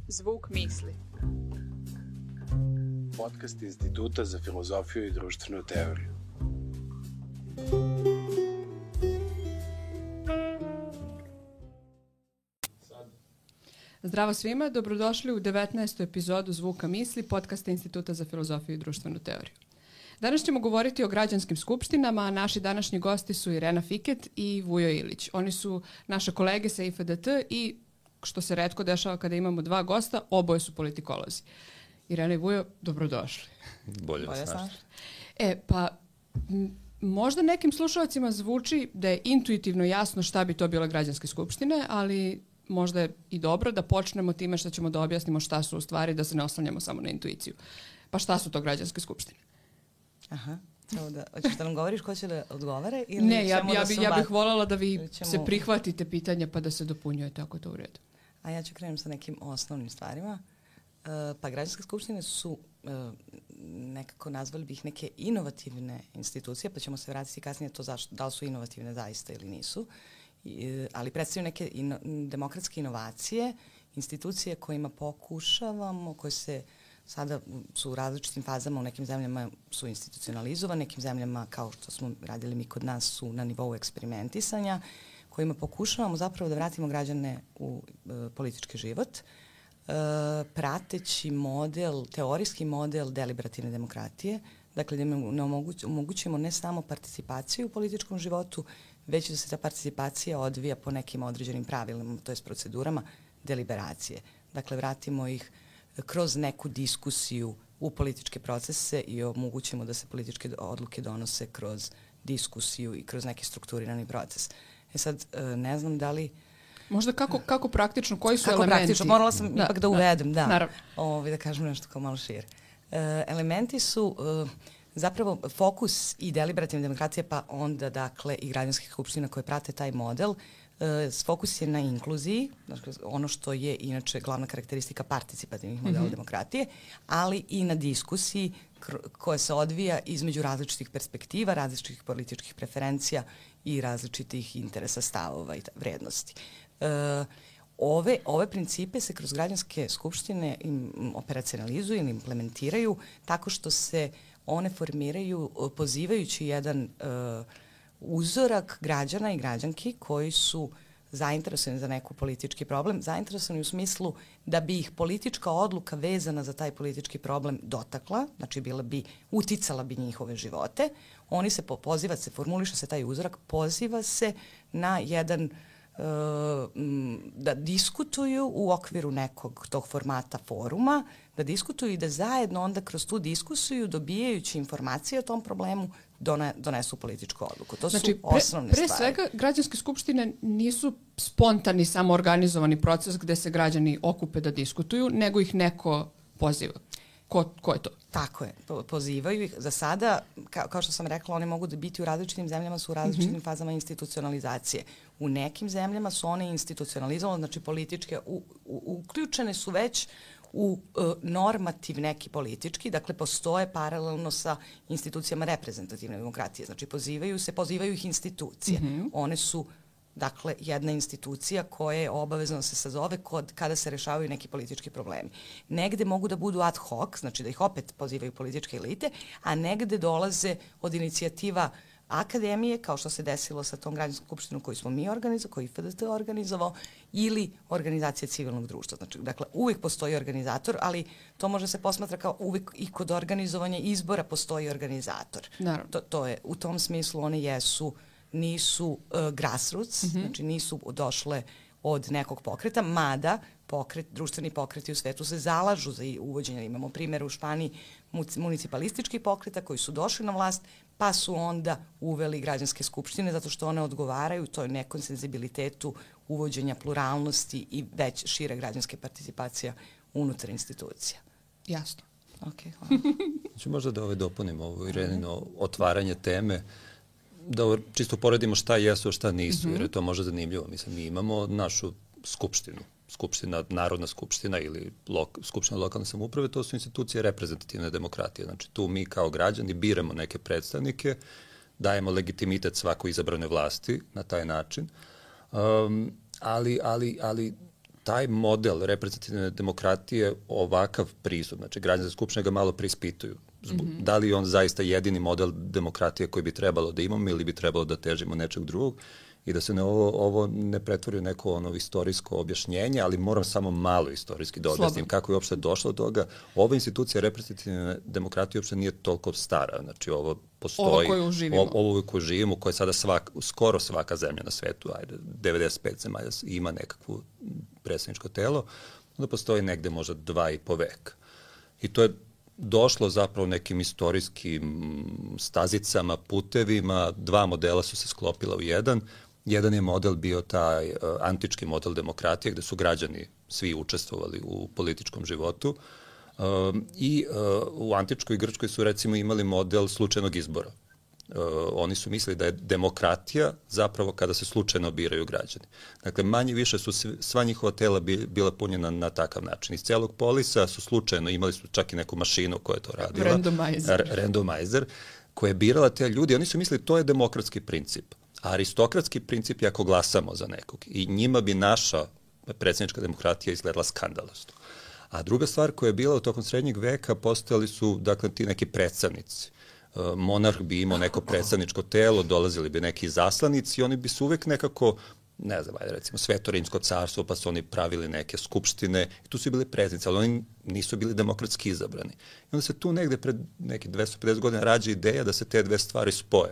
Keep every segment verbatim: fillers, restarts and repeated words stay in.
Zvuk misli. Podcast Instituta za filozofiju i društvenu teoriju. Zdravo svima, dobrodošli u devetnaestu epizodu Zvuka misli, podcasta Instituta za filozofiju i društvenu teoriju. Danas ćemo govoriti o građanskim skupštinama, a naši današnji gosti su Irena Fiket i Vujo Ilić. Oni su naše kolege sa I F D T i, što se retko dešava kada imamo dva gosta, oboje su politikolozi. Irena i Vujo, dobrodošli. Bolje vas našli. E, pa m, možda nekim slušalcima zvuči da je intuitivno jasno šta bi to bile građanske skupštine, ali možda je i dobro da počnemo time što ćemo da objasnimo šta su u stvari, da se ne oslanjamo samo na intuiciju. Pa šta su to građanske skupštine? Aha. Da, hoćeš da nam govoriš ko će da odgovore? Ili ne, ja, ja, da bi, ja bih voljela da vi ćemo... se prihvatite pitanja pa da se dopunjujete ako to u redu. A ja ću krenuti sa nekim osnovnim stvarima. Uh, pa građanske skupštine su uh, nekako nazvali bih neke inovativne institucije, pa ćemo se vratiti kasnije to zašto, da li su inovativne zaista ili nisu. I, ali predstavljaju neke ino, demokratske inovacije, institucije kojima pokušavamo, koje se sada su u različitim fazama, u nekim zemljama su institucionalizovane, nekim zemljama, kao što smo radili mi kod nas, su na nivou eksperimentisanja, kojima pokušavamo zapravo da vratimo građane u e, politički život, e, prateći model, teorijski model deliberativne demokratije, dakle da im omoguć, omogućimo ne samo participaciju u političkom životu, već da se ta participacija odvija po nekim određenim pravilima, to je procedurama deliberacije. Dakle, vratimo ih kroz neku diskusiju u političke procese i omogućimo da se političke odluke donose kroz diskusiju i kroz neki strukturirani proces. E sad, ne znam da li... Možda kako, kako praktično, koji su kako elementi? Kako praktično, morala sam da, ipak da uvedem, da. Naravno. Ovi, da kažem nešto kao malo šire. E, elementi su e, zapravo fokus i deliberativne demokracije, pa onda, dakle, i građanskih skupština koje prate taj model. E, fokus je na inkluziji, dakle, ono što je inače glavna karakteristika participativnih modela mm-hmm. demokratije, ali i na diskusiji koja se odvija između različitih perspektiva, različitih političkih preferencija i različitih interesa, stavova i vrednosti. E, ove, ove principe se kroz građanske skupštine im operacionalizuju ili implementiraju tako što se one formiraju pozivajući jedan uh, uzorak građana i građanki koji su zainteresovani za neku politički problem, zainteresovani u smislu da bi ih politička odluka vezana za taj politički problem dotakla, znači bila bi, uticala bi njihove živote. Oni se po, poziva se, formuliše se taj uzorak, poziva se na jedan da diskutuju u okviru nekog tog formata foruma, da diskutuju i da zajedno onda kroz tu diskusiju, dobijajući informacije o tom problemu, done, donesu političku odluku. To znači, su osnovne pre, pre stvari. Pre svega, građanske skupštine nisu spontani, samoorganizovani proces gde se građani okupe da diskutuju, nego ih neko poziva. Ko, ko je to? Tako je, po, pozivaju ih. Za sada, ka, kao što sam rekla, one mogu da biti u različitim zemljama, su u različitim mm-hmm. fazama institucionalizacije. U nekim zemljama su one institucionalizovane, znači političke, u, u, uključene su već u uh, normativ neki politički, dakle postoje paralelno sa institucijama reprezentativne demokratije, znači pozivaju se, pozivaju ih institucije. Mm-hmm. One su dakle, jedna institucija koja je obavezno se sazove kod, kada se rešavaju neki politički problemi. Negde mogu da budu ad hoc, znači da ih opet pozivaju političke elite, a negde dolaze od inicijativa akademije, kao što se desilo sa tom građanskom skupštinom koju smo mi organizovali, koju I F D T organizovao, ili organizacije civilnog društva. Znači, dakle, uvijek postoji organizator, ali to može se posmatra kao uvijek i kod organizovanja izbora postoji organizator. Naravno. To, to je, u tom smislu one jesu nisu uh, grassroots, mm-hmm. znači nisu došle od nekog pokreta, mada pokret, društveni pokreti u svetu se zalažu za uvođenje. Imamo primjer u Španiji municipalističkih pokreta koji su došli na vlast, pa su onda uveli građanske skupštine zato što one odgovaraju toj nekom senzibilitetu uvođenja pluralnosti i već šire građanske participacija unutar institucija. Jasno. Ok, hvala. Znači možda da ove dopunimo ovo Irenino otvaranje teme, da čisto poredimo šta jesu, a šta nisu, mm-hmm. jer je to možda zanimljivo. Mislim, mi imamo našu skupštinu, skupština, Narodna skupština ili lok, skupština lokalne samouprave, to su institucije reprezentativne demokratije. Znači, tu mi kao građani biramo neke predstavnike, dajemo legitimitet svakoj izabranoj vlasti na taj način, um, ali, ali, ali taj model reprezentativne demokratije, ovakav pristup, znači građanske skupštine ga malo preispituju. Mm-hmm. Da li je on zaista jedini model demokratije koji bi trebalo da imamo ili bi trebalo da težimo nečeg drugog i da se ne ovo, ovo ne pretvori u neko ono istorijsko objašnjenje, ali moram samo malo istorijski da objasnim kako je uopšte došlo do toga. Ova institucija reprezentativne demokratije uopšte nije toliko stara. Znači ovo postoji. Ovo koju živimo. Ovo koju živimo, koje sada svak, skoro svaka zemlja na svetu, ajde, devedeset pet zemalja ima nekakvu predsjedničko telo, onda postoji negde možda dva i po veka. I to je došlo zapravo nekim istorijskim stazicama, putevima, dva modela su se sklopila u jedan. Jedan je model bio taj uh, antički model demokratije gde su građani svi učestvovali u političkom životu uh, i uh, u antičkoj Grčkoj su recimo imali model slučajnog izbora. Uh, oni su mislili da je demokratija zapravo kada se slučajno biraju građani. Dakle, manje više su sva njihova tela bi, bila punjena na takav način. Iz celog polisa su slučajno, imali su čak i neku mašinu koja je to radila. Randomizer. Randomizer, koja je birala te ljudi. Oni su mislili to je demokratski princip. A aristokratski princip je ako glasamo za nekog. I njima bi naša predsjednička demokratija izgledala skandalozno. A druga stvar koja je bila u tokom srednjeg veka, postojali su, dakle, ti neki predstavnici. Monarh bi imao neko predstavničko telo, dolazili bi neki zaslanici i oni bi se uvek nekako, ne znam, ajde recimo Sveto rimsko carstvo, pa su oni pravili neke skupštine i tu su bili predsjednici, ali oni nisu bili demokratski izabrani. I onda se tu negde pred neki dvesta pedeset godina rađa ideja da se te dve stvari spoje.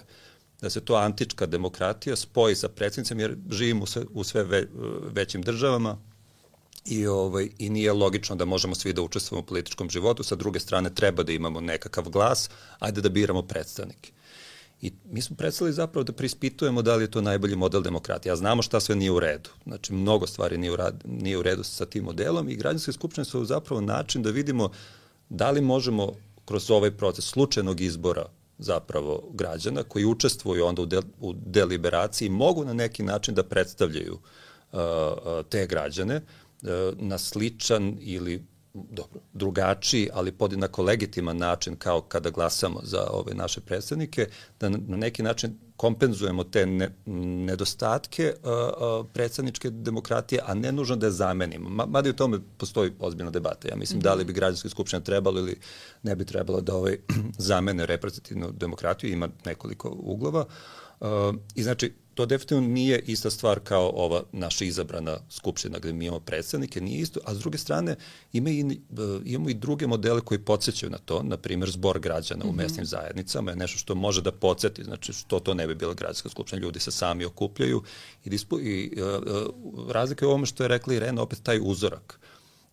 Da se to antička demokratija spoji sa predsjednicom, jer živimo u sve, u sve ve, većim državama i, ovaj, i nije logično da možemo svi da učestvujemo u političkom životu. Sa druge strane, treba da imamo nekakav glas, ajde da biramo predstavnike. I mi smo predstavili zapravo da preispitujemo da li je to najbolji model demokratije. A znamo šta sve nije u redu. Znači, mnogo stvari nije u, rad, nije u redu sa tim modelom i građanske skupštine su zapravo način da vidimo da li možemo kroz ovaj proces slučajnog izbora zapravo građana koji učestvuju onda u, de, u deliberaciji mogu na neki način da predstavljaju uh, te građane uh, na sličan ili dobro, drugačiji, ali podjednako legitiman način kao kada glasamo za ove naše predstavnike, da na, na neki način kompenzujemo te ne, nedostatke uh, uh, predstavničke demokratije, a ne nužno da je zamenimo. Ma, mada i u tome postoji ozbiljna debata. Ja mislim mm-hmm. da li bi građanske skupštine trebalo ili ne bi trebalo da ovaj zamene reprezentativnu demokratiju, ima nekoliko uglova. Uh, I znači, to definitivno nije ista stvar kao ova naša izabrana skupština gde mi imamo predstavnike, nije isto, a s druge strane ima i, imamo i druge modele koji podsjećaju na to, na primjer zbor građana mm-hmm. u mesnim zajednicama je nešto što može da podsjeti, znači što to ne bi bila građanska skupština, ljudi se sami okupljaju i, dispu, i uh, razlika je u ovome što je rekla Irena, opet taj uzorak.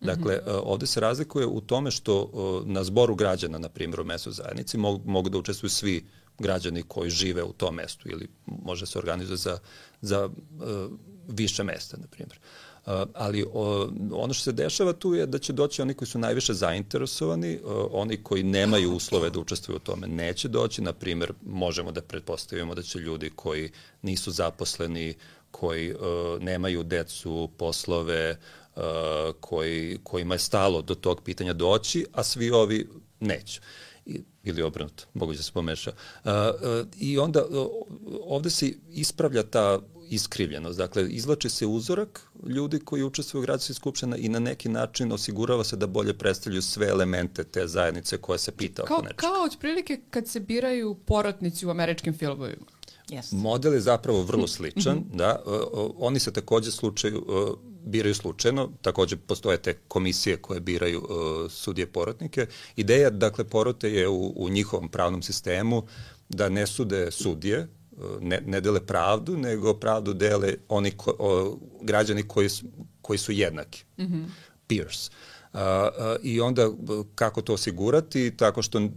Dakle, mm-hmm. ovde se razlikuje u tome što uh, na zboru građana, na primjer u mesnoj zajednici, mogu, mogu da učestvuju svi građani koji žive u tom mestu ili može se organizuje za, za uh, više mesta, na primjer. Uh, ali uh, ono što se dešava tu je da će doći oni koji su najviše zainteresovani, uh, oni koji nemaju uslove da učestvuju u tome neće doći, na primjer možemo da pretpostavimo da će ljudi koji nisu zaposleni, koji uh, nemaju decu, poslove, uh, koji, kojima je stalo do tog pitanja doći, a svi ovi neće. I, ili obrnuto, moguće da se pomeša. Uh, uh, I onda uh, ovde se ispravlja ta iskrivljenost. Dakle, izvlači se uzorak ljudi koji učestvuju u građanskoj skupštini i na neki način osigurava se da bolje predstavljaju sve elemente te zajednice koja se pita kao, oko nečega. Kao otprilike kad se biraju porotnici u američkim filmovima. Yes. Model je zapravo vrlo sličan, mm-hmm. da. Uh, uh, oni se takođe slučaju, uh, biraju slučajno, takođe postoje te komisije koje biraju uh, sudije porotnike. Ideja, dakle, porote je u, u njihovom pravnom sistemu da ne sude sudije, ne, ne dele pravdu, nego pravdu dele oni ko, o, građani koji su, koji su jednaki, mm-hmm. peers. Uh, uh, I onda kako to osigurati? Tako što uh,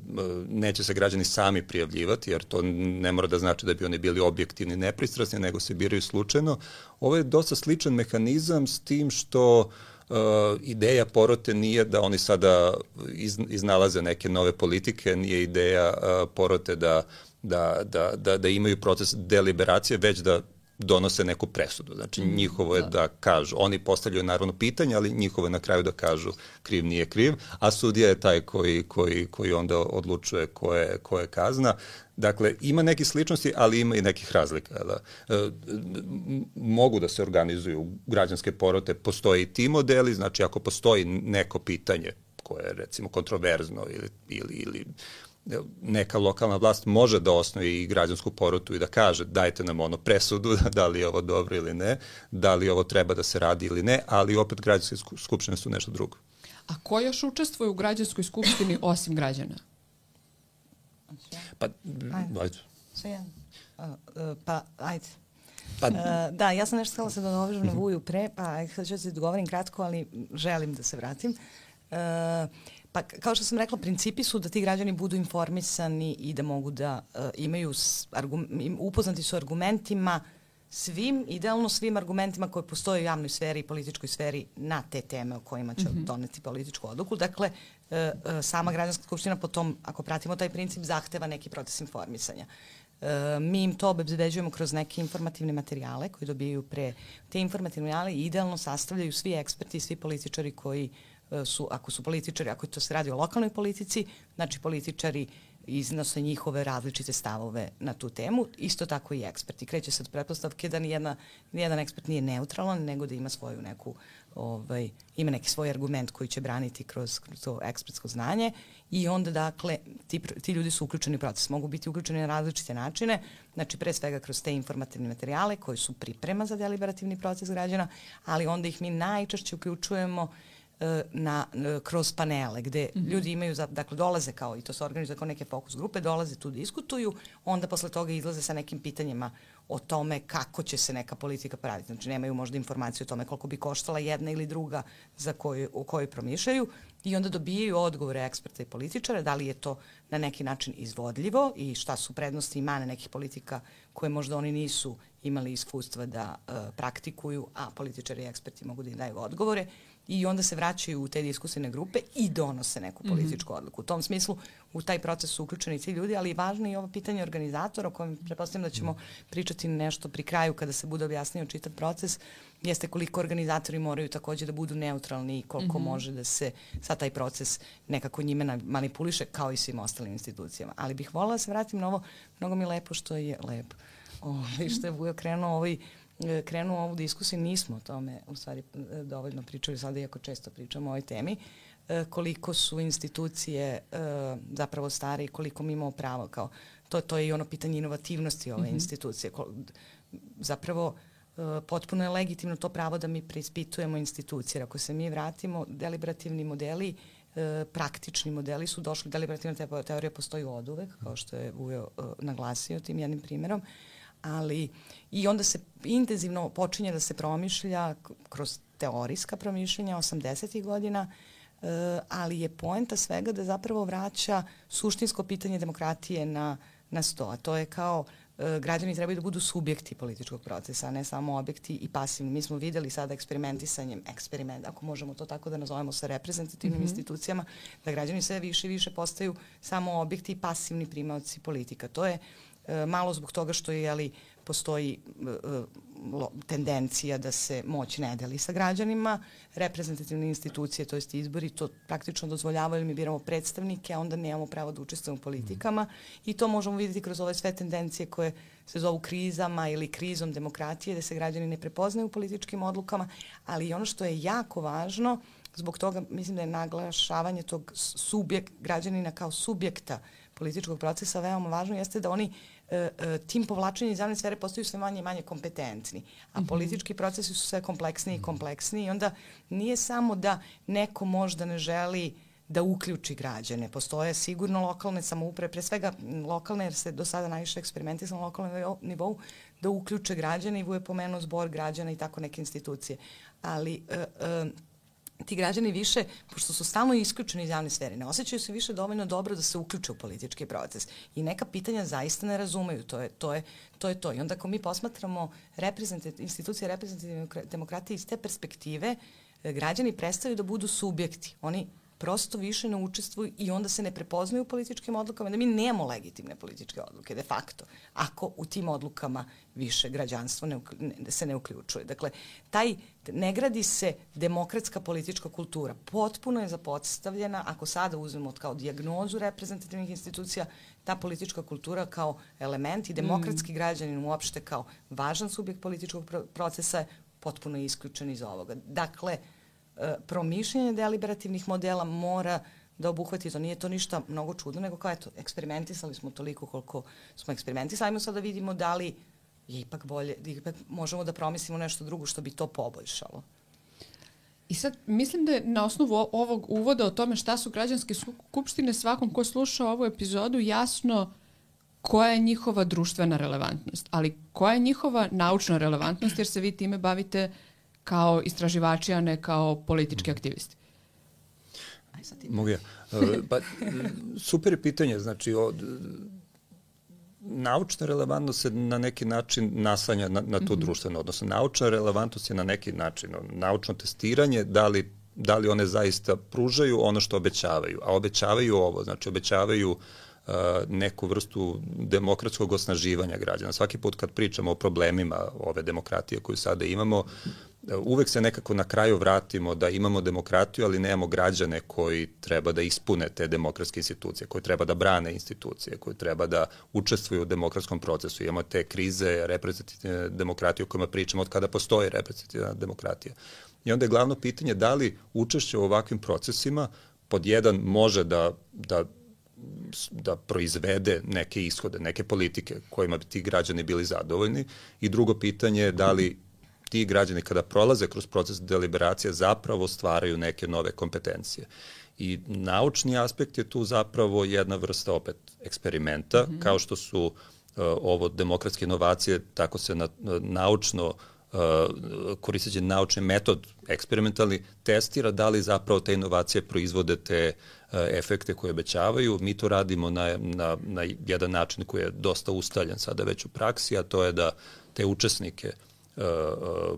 neće se građani sami prijavljivati, jer to ne mora da znači da bi oni bili objektivni, nepristrasni, nego se biraju slučajno. Ovo je dosta sličan mehanizam s tim što uh, ideja porote nije da oni sada iz, iznalaze neke nove politike, nije ideja uh, porote da, da, da, da, da imaju proces deliberacije, već da donose neku presudu. Znači, njihovo je da kažu, oni postavljaju naravno pitanje, ali njihovo je na kraju da kažu kriv nije kriv, a sudija je taj koji, koji, koji onda odlučuje ko je, ko je kazna. Dakle, ima nekih sličnosti, ali ima i nekih razlika. Da? E, mogu da se organizuju građanske porote, postoje i ti modeli, znači ako postoji neko pitanje koje je recimo kontroverzno ili, ili, ili neka lokalna vlast može da osnovi i građansku porotu i da kaže dajte nam ono presudu, da li je ovo dobro ili ne, da li ovo treba da se radi ili ne, ali opet građanske skupštine su nešto drugo. A ko još učestvuje u građanskoj skupštini osim građana? Pa, ajde. Sve jedno. Pa, ajde. Pa, uh, da, ja sam nešto htjela se da dovežem na Vuju pre, pa ajde, sad ću se dogovorim kratko, ali želim da se vratim. Uh, pa, kao što sam rekla, principi su da ti građani budu informisani i da mogu da uh, imaju, argum, upoznati su argumentima, svim, idealno svim argumentima koje postoje u javnoj sferi i političkoj sferi na te teme o kojima će mm-hmm. doneti političku odluku. Dakle, e, e, sama građanska skupština po tom, ako pratimo taj princip, zahteva neki proces informisanja. E, mi im to obezbeđujemo kroz neke informativne materijale koji dobijaju pre. Te informativne materijale idealno sastavljaju svi eksperti i svi političari koji e, su, ako su političari, ako to se radi o lokalnoj politici, znači političari iznose njihove različite stavove na tu temu, isto tako i eksperti. Kreće se od pretpostavke da nijedna, nijedan ekspert nije neutralan, nego da ima svoju neku, ovaj, ima neki svoj argument koji će braniti kroz, kroz to ekspertsko znanje i onda, dakle, ti, ti ljudi su uključeni u proces. Mogu biti uključeni na različite načine, znači pre svega kroz te informativne materijale koji su priprema za deliberativni proces građana, ali onda ih mi najčešće uključujemo na, kroz panele gde mm-hmm. ljudi imaju, za, dakle dolaze kao i to se organizuje kao neke fokus grupe, dolaze tu, diskutuju, onda posle toga izlaze sa nekim pitanjima o tome kako će se neka politika praviti. Znači nemaju možda informaciju o tome koliko bi koštala jedna ili druga za koju, o kojoj promišljaju i onda dobijaju odgovore eksperta i političara, da li je to na neki način izvodljivo i šta su prednosti i mane nekih politika koje možda oni nisu imali iskustva da uh, praktikuju, a političari i eksperti mogu da im daju odgovore. I onda se vraćaju u te diskusijne grupe i donose neku političku mm-hmm. odluku. U tom smislu u taj proces su uključeni ti ljudi, ali važno je i ovo pitanje organizatora o kojem pretpostavljam da ćemo pričati nešto pri kraju kada se bude objasnio čitav proces, jeste koliko organizatori moraju takođe da budu neutralni i koliko mm-hmm. može da se sad taj proces nekako njime manipuliše kao i svim ostalim institucijama. Ali bih voljela da se vratim na ovo, mnogo mi je lepo što je lepo. O, što je Vujo krenuo ovaj krenuo ovu diskusiju, nismo o tome u stvari dovoljno pričali sada, iako često pričamo o ovoj temi, koliko su institucije zapravo stare i koliko mi imamo pravo. Kao, to, to je i ono pitanje inovativnosti ove mm-hmm. institucije. Zapravo potpuno je legitimno to pravo da mi preispitujemo institucije. Ako se mi vratimo, deliberativni modeli, praktični modeli su došli, deliberativna teorija postoji oduvek, kao što je Vujo naglasio tim jednim primjerom, ali i onda se intenzivno počinje da se promišlja kroz teorijska promišljenja osamdesetih godina, uh, ali je poenta svega da zapravo vraća suštinsko pitanje demokratije na, na sto. A to je kao uh, građani trebaju da budu subjekti političkog procesa, a ne samo objekti i pasivni. Mi smo videli sada eksperimentisanjem, eksperiment, ako možemo to tako da nazovemo sa reprezentativnim mm-hmm. institucijama, da građani sve više i više postaju samo objekti i pasivni primaoci politika. To je malo zbog toga što je, jeli, postoji uh, tendencija da se moć ne deli sa građanima, reprezentativne institucije, to jest izbori, to praktično dozvoljavaju, mi biramo predstavnike, a onda nemamo pravo da učestvujemo u politikama mm. i to možemo vidjeti kroz ove sve tendencije koje se zovu krizama ili krizom demokratije, da se građani ne prepoznaju u političkim odlukama, ali i ono što je jako važno, zbog toga mislim da je naglašavanje tog subjekt, građanina kao subjekta političkog procesa veoma važno, jeste da oni e, e, tim povlačenjem iz javne sfere postaju sve manje i manje kompetentni, a mm-hmm. politički procesi su sve kompleksniji i kompleksniji i onda nije samo da neko možda ne želi da uključi građane. Postoje sigurno lokalne samouprave, pre svega lokalne, jer se do sada najviše eksperimentisalo na lokalnom nivou, da uključe građane i Vujo je pomenuo zbor građana i tako neke institucije. Ali e, e, ti građani više, pošto su stalno isključeni iz javne sfere, ne osjećaju se više dovoljno dobro da se uključe u politički proces i neka pitanja zaista ne razumeju. To je to. Je, to, je to. I onda ako mi posmatramo reprezentativ, institucije reprezentativne demokratije iz te perspektive, građani prestaju da budu subjekti. Oni prosto više ne učestvuju i onda se ne prepoznaju u političkim odlukama, da mi nemamo legitimne političke odluke, de facto, ako u tim odlukama više građanstvo ne, ne, se ne uključuje. Dakle, taj, ne gradi se demokratska politička kultura. Potpuno je zapostavljena, ako sada uzmemo kao dijagnozu reprezentativnih institucija, ta politička kultura kao element i demokratski mm. građanin uopšte kao važan subjekt političkog procesa je potpuno isključen iz ovoga. Dakle, promišljanje deliberativnih modela mora da obuhvati to. Nije to ništa mnogo čudno, nego kao eto, eksperimentisali smo toliko koliko smo eksperimentisali. Ajmo sad da vidimo da li je ipak bolje, ipak možemo da promislimo nešto drugo što bi to poboljšalo. I sad mislim da je na osnovu ovog uvoda o tome šta su građanske skupštine svakom ko sluša ovu epizodu jasno koja je njihova društvena relevantnost, ali koja je njihova naučna relevantnost, jer se vi time bavite kao istraživači, a ne kao politički aktivisti. Mogu ja. Pa, super je pitanje. Znači, od, naučna relevantnost se na neki način naslanja na, na to mm-hmm. društveno. Odnosno, naučna relevantnost je na neki način naučno testiranje, da li, da li one zaista pružaju ono što obećavaju. A obećavaju ovo, znači obećavaju Uh, neku vrstu demokratskog osnaživanja građana. Svaki put kad pričamo o problemima ove demokratije koju sada imamo, uh, uvek se nekako na kraju vratimo da imamo demokratiju, ali nemamo građane koji treba da ispune te demokratske institucije, koji treba da brane institucije, koji treba da učestvuju u demokratskom procesu. Imamo te krize reprezentativne demokratije o kojima pričamo od kada postoji reprezentativna demokratija. I onda je glavno pitanje da li učešće u ovakvim procesima pod jedan može da, da da proizvede neke ishode, neke politike kojima bi ti građani bili zadovoljni, i drugo pitanje je da li ti građani kada prolaze kroz proces deliberacije zapravo stvaraju neke nove kompetencije. I naučni aspekt je tu zapravo jedna vrsta opet eksperimenta, mm-hmm. kao što su uh, ovo demokratske inovacije, tako se na, naučno Uh, koristeći naučni metod eksperimentalni, testira da li zapravo te inovacije proizvode te uh, efekte koje obećavaju. Mi to radimo na, na, na jedan način koji je dosta ustaljen sada već u praksi, a to je da te učesnike uh,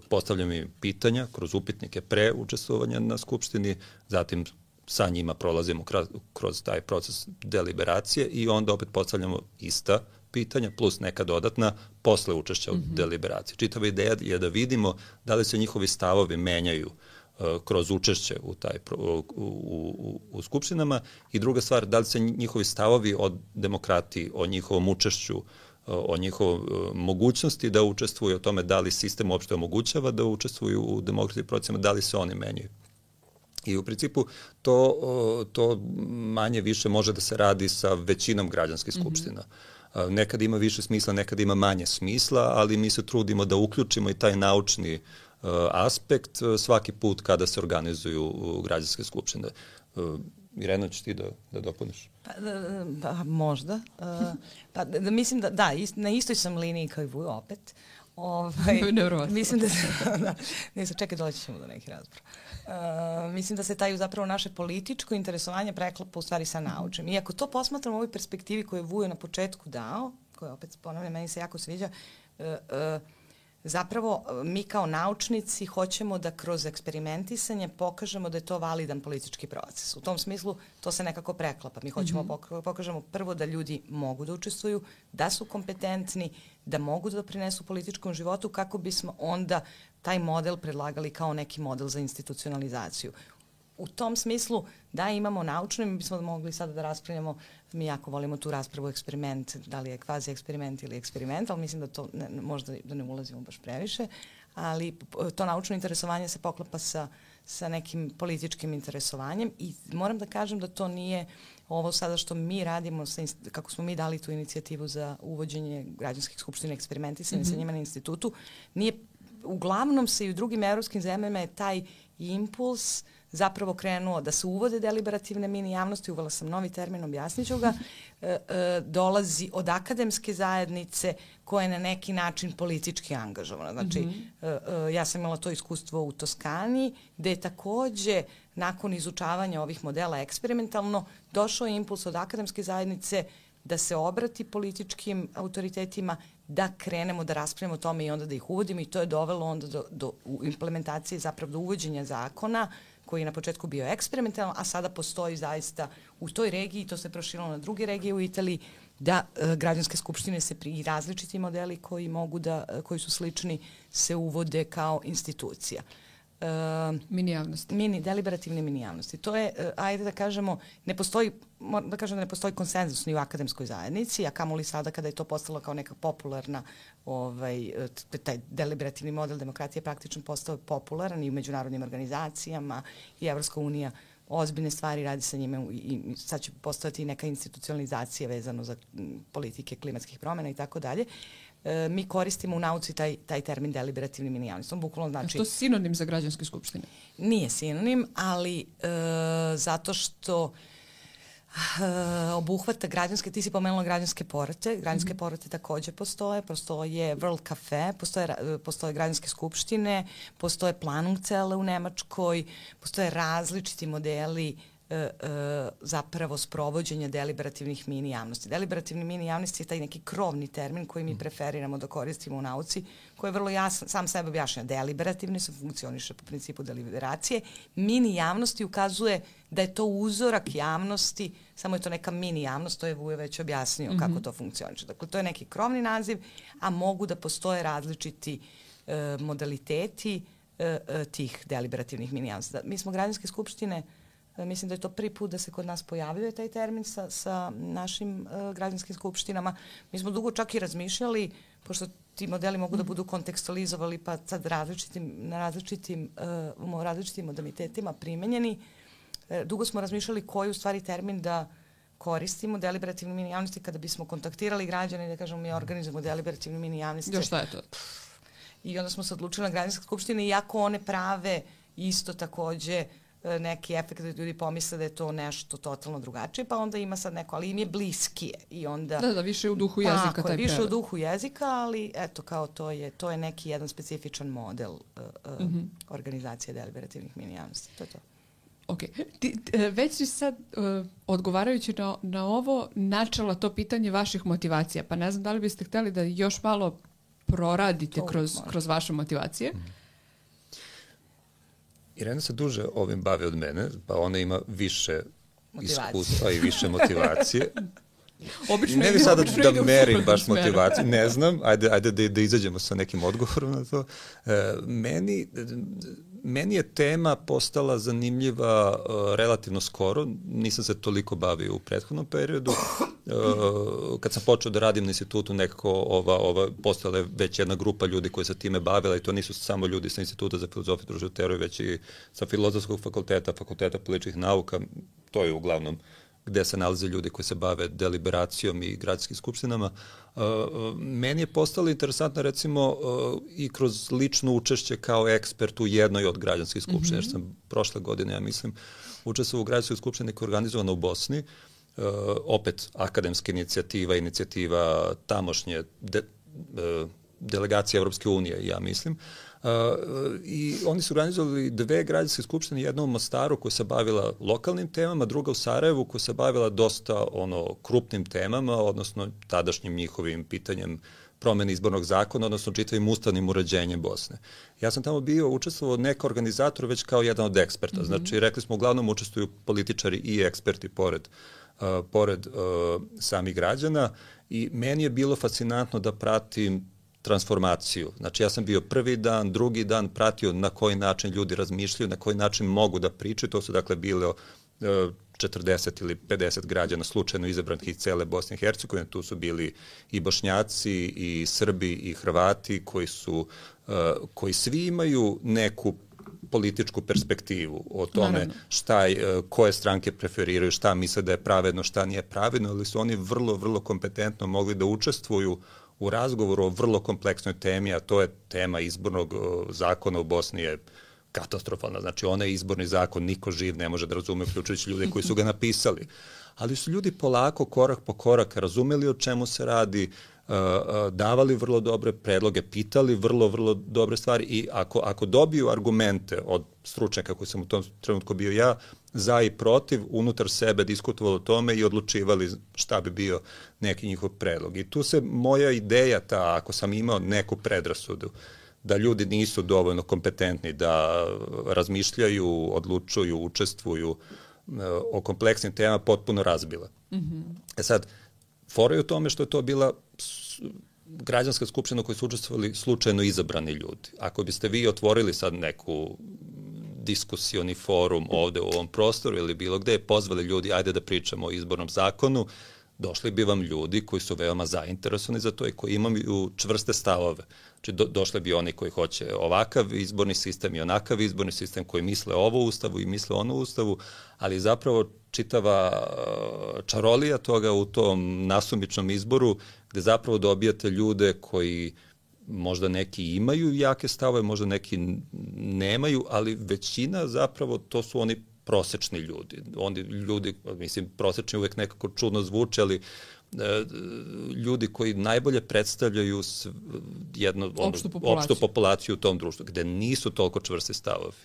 postavljamo im pitanja kroz upitnike pre učestvovanja na skupštini, zatim sa njima prolazimo kroz, kroz taj proces deliberacije i onda opet postavljamo ista pitanja plus neka dodatna posle učešća u mm-hmm. deliberaciji. Čitava ideja je da vidimo da li se njihovi stavovi menjaju uh, kroz učešće u, taj, u, u, u, u skupštinama, i druga stvar, da li se njihovi stavovi o demokratiji, o njihovom učešću, uh, o njihovoj uh, mogućnosti da učestvuju, o tome da li sistem uopšte omogućava da učestvuju u demokratskim procesima, da li se oni menjaju. I u principu to, to manje više može da se radi sa većinom građanskih skupština. Mm-hmm. Nekad ima više smisla, nekad ima manje smisla, ali mi se trudimo da uključimo i taj naučni uh, aspekt uh, svaki put kada se organizuju uh, građanske skupštine. Uh, Irena, ćeš ti da, da dopuniš? Pa, pa možda. Uh, pa, da, mislim da, da, ist, na istoj sam liniji kao i Vujo opet. Ovaj, mislim da se, da, ne sam, čekaj, doći ćemo do neki razbor. Uh, mislim da se taj zapravo naše političko interesovanje preklapa u stvari sa naučnim. I ako to posmatramo u ovoj perspektivi koju je Vujo na početku dao, koja opet ponavljam, meni se jako sviđa, uh, uh, zapravo mi kao naučnici hoćemo da kroz eksperimentisanje pokažemo da je to validan politički proces. U tom smislu to se nekako preklapa. Mi hoćemo mm-hmm. pokažemo prvo da ljudi mogu da učestvuju, da su kompetentni, da mogu da doprinesu političkom životu, kako bismo onda taj model predlagali kao neki model za institucionalizaciju. U tom smislu da imamo naučno, mi bismo mogli sada da raspravljamo, mi jako volimo tu raspravu eksperiment, da li je kvazi eksperiment ili eksperiment, ali mislim da to ne, možda da ne ulazimo baš previše, ali to naučno interesovanje se poklapa sa, sa nekim političkim interesovanjem i moram da kažem da to nije ovo sada što mi radimo, sa, kako smo mi dali tu inicijativu za uvođenje građanskih skupština eksperimentisanja mm-hmm. sa njima na institutu, nije, uglavnom se i u drugim evropskim zemljama je taj impuls zapravo krenuo da se uvode deliberativne mini javnosti, uvela sam novi termin, objasnit ću ga, e, e, dolazi od akademske zajednice koja je na neki način politički angažovana. Znači, mm-hmm. e, e, ja sam imala to iskustvo u Toskani, gde je takođe nakon izučavanja ovih modela eksperimentalno došao impuls od akademske zajednice da se obrati političkim autoritetima, da krenemo da raspravimo o tome i onda da ih uvodimo, i to je dovelo onda do, do implementacije, zapravo do uvođenja zakona koji je na početku bio eksperimentalan, a sada postoji zaista u toj regiji, to se proširilo na druge regije u Italiji, da e, građanske skupštine se pri različiti modeli koji mogu da, koji su slični, se uvode kao institucija. Uh, mini javnosti. Mini, deliberativne mini javnosti. To je, uh, ajde da kažemo, ne postoji, da kažem da ne postoji konsenzus ni u akademskoj zajednici, a kamoli sada kada je to postalo kao neka popularna, ovaj, taj deliberativni model demokratije praktično postao popularan i u međunarodnim organizacijama i Evropska unija ozbiljne stvari radi sa njime i, i sad će postojati neka institucionalizacija vezano za politike klimatskih promjena i tako dalje. Mi koristimo u nauci taj, taj termin deliberativni mini javnosti. On bukvalno znači... A što je sinonim za građanske skupštine? Nije sinonim, ali e, zato što e, obuhvata građanske, ti si pomenula građanske porote, građanske mm-hmm. porote takođe postoje, postoje World Cafe, postoje, postoje građanske skupštine, postoje Planungzelle u Nemačkoj, postoje različiti modeli E, e, zapravo sprovođenja deliberativnih mini javnosti. Deliberativni mini javnosti je taj neki krovni termin koji mi preferiramo da koristimo u nauci, koji je vrlo jasan, sam sebe objašnja. Deliberativni se funkcioniše po principu deliberacije. Mini javnosti ukazuje da je to uzorak javnosti, samo je to neka mini javnost, to je Vujo već objasnio mm-hmm. kako to funkcioniše. Dakle, to je neki krovni naziv, a mogu da postoje različiti e, modaliteti e, e, tih deliberativnih mini javnosti. Mi smo građanske skupštine. Mislim da je to prvi put da se kod nas pojavljuje taj termin sa, sa našim uh, građanskim skupštinama. Mi smo dugo čak i razmišljali, pošto ti modeli mogu da budu kontekstualizovali pa sad različitim, na različitim, uh, različitim modalitetima primenjeni. Uh, dugo smo razmišljali koji u stvari termin da koristimo, deliberativni mini javnosti, kada bismo kontaktirali građane i da kažemo mi organizujemo deliberativni mini javnosti. Jo, šta je to? I onda smo se odlučili na građanske skupštine, iako one prave isto takođe neki efekt da ljudi pomisle da je to nešto totalno drugačije, pa onda ima sad neko, ali im je bliskije. I onda, da, da, više u duhu jezika. Tako, taj više prevod. u duhu jezika, ali eto, kao to je, to je neki jedan specifičan model uh, uh, mm-hmm. organizacije deliberativnih mini javnosti. To je to. Ok. Ti, već si sad, uh, odgovarajući na, na ovo, načela to pitanje vaših motivacija, pa ne znam da li biste hteli da još malo proradite to, kroz, kroz vaše motivacije. Mm. Irena se duže ovim bavi od mene, pa ona ima više iskustva i više motivacije. Obično ne ide, bi sada obično da merim baš motivaciju, ne znam, ajde, ajde da, da izađemo sa nekim odgovorom na to. E, meni, meni je tema postala zanimljiva uh, relativno skoro, nisam se toliko bavio u prethodnom periodu. Uh, kad sam počeo da radim na institutu, nekako ova, ova, postala je već jedna grupa ljudi koji se time bavila i to nisu samo ljudi sa Instituta za filozofiju i društvenu teoriju, već i sa Filozofskog fakulteta, Fakulteta političkih nauka, to je uglavnom gde se nalaze ljudi koji se bave deliberacijom i gradskim skupštinama. Uh, meni je postalo interesantno recimo uh, i kroz lično učešće kao ekspert u jednoj od građanskih skupština, mm-hmm. jer sam prošle godine, ja mislim, učestvovao u građanskoj skupštini koja je organizovana u Bosni, uh, opet akademska inicijativa, inicijativa tamošnje de, uh, delegacije Evropske unije, ja mislim. Uh, I oni su organizovali dve građanske skupštine, jedna u Mostaru koja se bavila lokalnim temama, druga u Sarajevu koja se bavila dosta ono krupnim temama, odnosno tadašnjim njihovim pitanjem promene izbornog zakona, odnosno čitavim ustavnim uređenjem Bosne. Ja sam tamo bio, učestvovao neka organizator već kao jedan od eksperta. Mm-hmm. Znači, rekli smo, uglavnom učestvuju političari i eksperti pored, uh, pored uh, samih građana i meni je bilo fascinantno da pratim transformaciju. Znači, ja sam bio prvi dan, drugi dan pratio na koji način ljudi razmišljaju, na koji način mogu da pričaju. To su, dakle, bilo četrdeset ili pedeset građana slučajno izabranih iz cele Bosne i Hercegovine. Tu su bili i Bošnjaci, i Srbi, i Hrvati, koji su, koji svi imaju neku političku perspektivu o tome šta, koje stranke preferiraju, šta misle da je pravedno, šta nije pravedno, ali su oni vrlo, vrlo kompetentno mogli da učestvuju u razgovoru o vrlo kompleksnoj temi, a to je tema izbornog zakona u Bosni je katastrofalna. Znači, onaj izborni zakon niko živ ne može da razume, uključujući ljude koji su ga napisali. Ali su ljudi polako, korak po korak, razumeli o čemu se radi, davali vrlo dobre predloge, pitali vrlo, vrlo dobre stvari i ako, ako dobiju argumente od stručnjaka koji sam u tom trenutku bio ja, za i protiv, unutar sebe diskutovali o tome i odlučivali šta bi bio neki njihov predlog. I tu se moja ideja, ta, ako sam imao neku predrasudu, da ljudi nisu dovoljno kompetentni da razmišljaju, odlučuju, učestvuju o kompleksnim temama potpuno razbila. Mm-hmm. E sad, fora je u tome što je to bila građanska skupština u kojoj su učestvovali slučajno izabrani ljudi. Ako biste vi otvorili sad neku diskusioni forum ovde u ovom prostoru ili bilo gde, pozvali ljudi, ajde da pričamo o izbornom zakonu, došli bi vam ljudi koji su veoma zainteresovani za to i koji imaju čvrste stavove. Znači, do, došli bi oni koji hoće ovakav izborni sistem i onakav izborni sistem, koji misle ovo ustavu i misle ono ustavu, ali zapravo čitava čarolija toga u tom nasumičnom izboru, gde zapravo dobijate ljude koji možda neki imaju jake stavove, možda neki nemaju, ali većina zapravo to su oni prosečni ljudi. Oni ljudi, mislim, prosečni uvek nekako čudno zvuče, ali e, ljudi koji najbolje predstavljaju jednu opštu populaciju. opštu populaciju u tom društvu, gde nisu toliko čvrsti stavovi.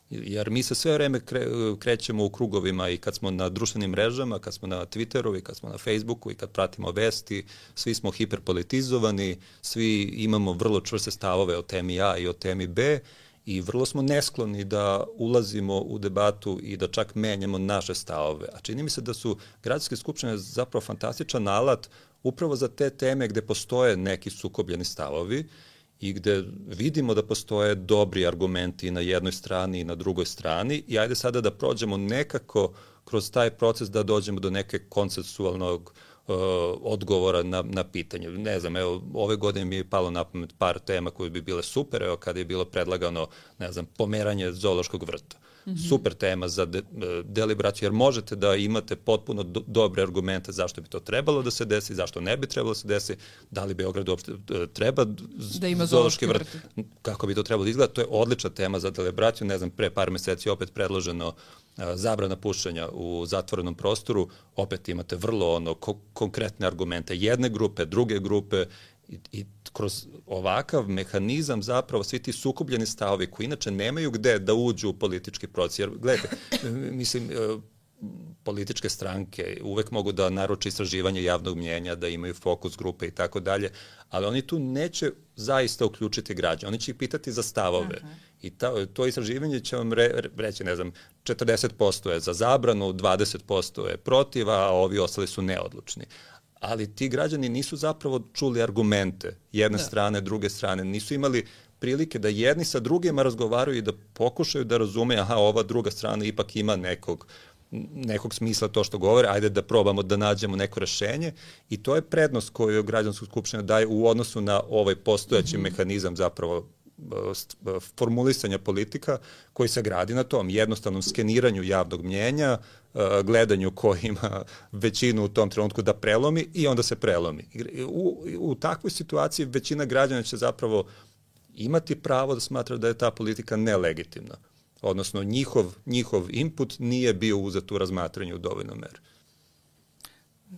Jer mi se sve vreme kre, krećemo u krugovima i kad smo na društvenim mrežama, kad smo na Twitteru i kad smo na Facebooku i kad pratimo vesti, svi smo hiperpolitizovani, svi imamo vrlo čvrste stavove o temi A i o temi B i vrlo smo neskloni da ulazimo u debatu i da čak menjamo naše stavove. A čini mi se da su gradske skupštine zapravo fantastičan alat upravo za te teme gde postoje neki sukobljeni stavovi i gde vidimo da postoje dobri argumenti i na jednoj strani i na drugoj strani i ajde sada da prođemo nekako kroz taj proces da dođemo do neke konsensualnog uh, odgovora na, na pitanje. Ne znam, evo, ove godine mi je palo na pamet par tema koje bi bile super, evo kada je bilo predlagano, ne znam, pomeranje zoološkog vrta. Mm-hmm. Super tema za de, deliberaciju, jer možete da imate potpuno do, dobre argumente zašto bi to trebalo da se desi, zašto ne bi trebalo da se desi, da li Beograd uopšte treba da ima zoološki vrt, vrt, kako bi to trebalo da izgleda. To je odlična tema za deliberaciju. Ne znam, pre par meseci opet predloženo a, zabrana pušenja u zatvorenom prostoru. Opet imate vrlo ono ko, konkretne argumente jedne grupe, druge grupe, I, i kroz ovakav mehanizam zapravo svi ti sukobljeni stavovi koji inače nemaju gde da uđu u politički proces. Jer, gledajte, mislim, političke stranke uvek mogu da naruče istraživanje javnog mnjenja, da imaju fokus grupe i tako dalje, ali oni tu neće zaista uključiti građane. Oni će ih pitati za stavove. Aha. I ta, to istraživanje će vam re, reći, ne znam, četrdeset posto je za zabranu, dvadeset posto je protiv, a ovi ostali su neodlučni. Ali ti građani nisu zapravo čuli argumente jedne da. strane, druge strane, nisu imali prilike da jedni sa drugima razgovaraju i da pokušaju da razume, aha, ova druga strana ipak ima nekog, nekog smisla to što govore, ajde da probamo da nađemo neko rešenje i to je prednost koju građanska skupština daje u odnosu na ovaj postojeći mm-hmm. mehanizam zapravo formulisanja politika koji se gradi na tom jednostavnom skeniranju javnog mnjenja, gledanju ko ima većinu u tom trenutku da prelomi i onda se prelomi. U, u takvoj situaciji većina građana će zapravo imati pravo da smatra da je ta politika nelegitimna. Odnosno njihov, njihov input nije bio uzet u razmatranju u dovoljnoj meri.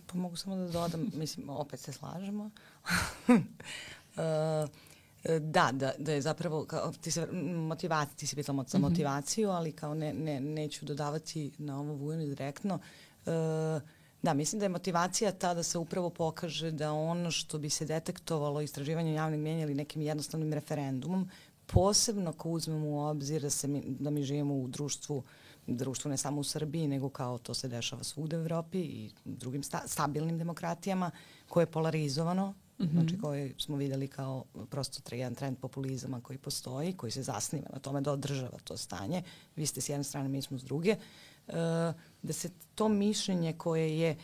Pa mogu samo da dodam, mislim, opet se slažemo. uh, Da, da, da je zapravo, kao, ti se, motivacija, ti si pitala za motivaciju, ali kao ne, ne, neću dodavati na ovo Vujanu direktno. E, da, mislim da je motivacija ta da se upravo pokaže da ono što bi se detektovalo istraživanjem javnog mnjenja ili nekim jednostavnim referendumom, posebno ako uzmemo u obzir da, se mi, da mi živimo u društvu, društvu ne samo u Srbiji, nego kao to se dešava svugde u Evropi i drugim sta, stabilnim demokratijama, koje je polarizovano, mm-hmm. znači koji smo videli kao prosto jedan trend populizama koji postoji, koji se zasniva na tome da održava to stanje. Vi ste s jedne strane, mi smo s druge. E, da se to mišljenje koje je, e,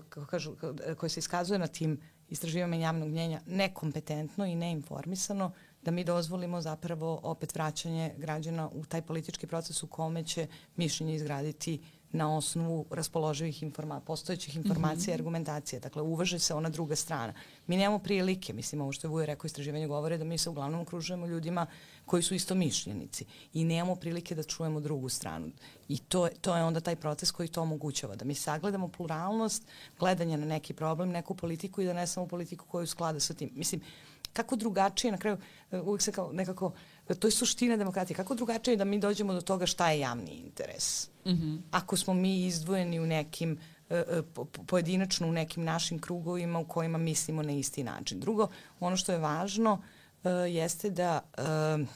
kako kažu, koje se iskazuje na tim istraživanjima javnog mnjenja nekompetentno i neinformisano, da mi dozvolimo zapravo opet vraćanje građana u taj politički proces u kome će mišljenje izgraditi na osnovu raspoloživih informa, postojećih informacija i mm-hmm. argumentacije. Dakle, uvaže se ona druga strana. Mi nemamo prilike, mislim, ovo što je Vujo rekao, istraživanje govore da mi se uglavnom okružujemo ljudima koji su isto mišljenici i nemamo prilike da čujemo drugu stranu. I to, to je onda taj proces koji to omogućava, da mi sagledamo pluralnost, gledanje na neki problem, neku politiku i da ne samo politiku koju sklada sa tim. Mislim, kako drugačije, na kraju, uvijek se kao nekako, to je suština demokratije, kako drugačije da mi dođemo do toga šta je javni interes. Mm-hmm. Ako smo mi izdvojeni u nekim, po, pojedinačno u nekim našim krugovima u kojima mislimo na isti način. Drugo, ono što je važno, jeste da uh,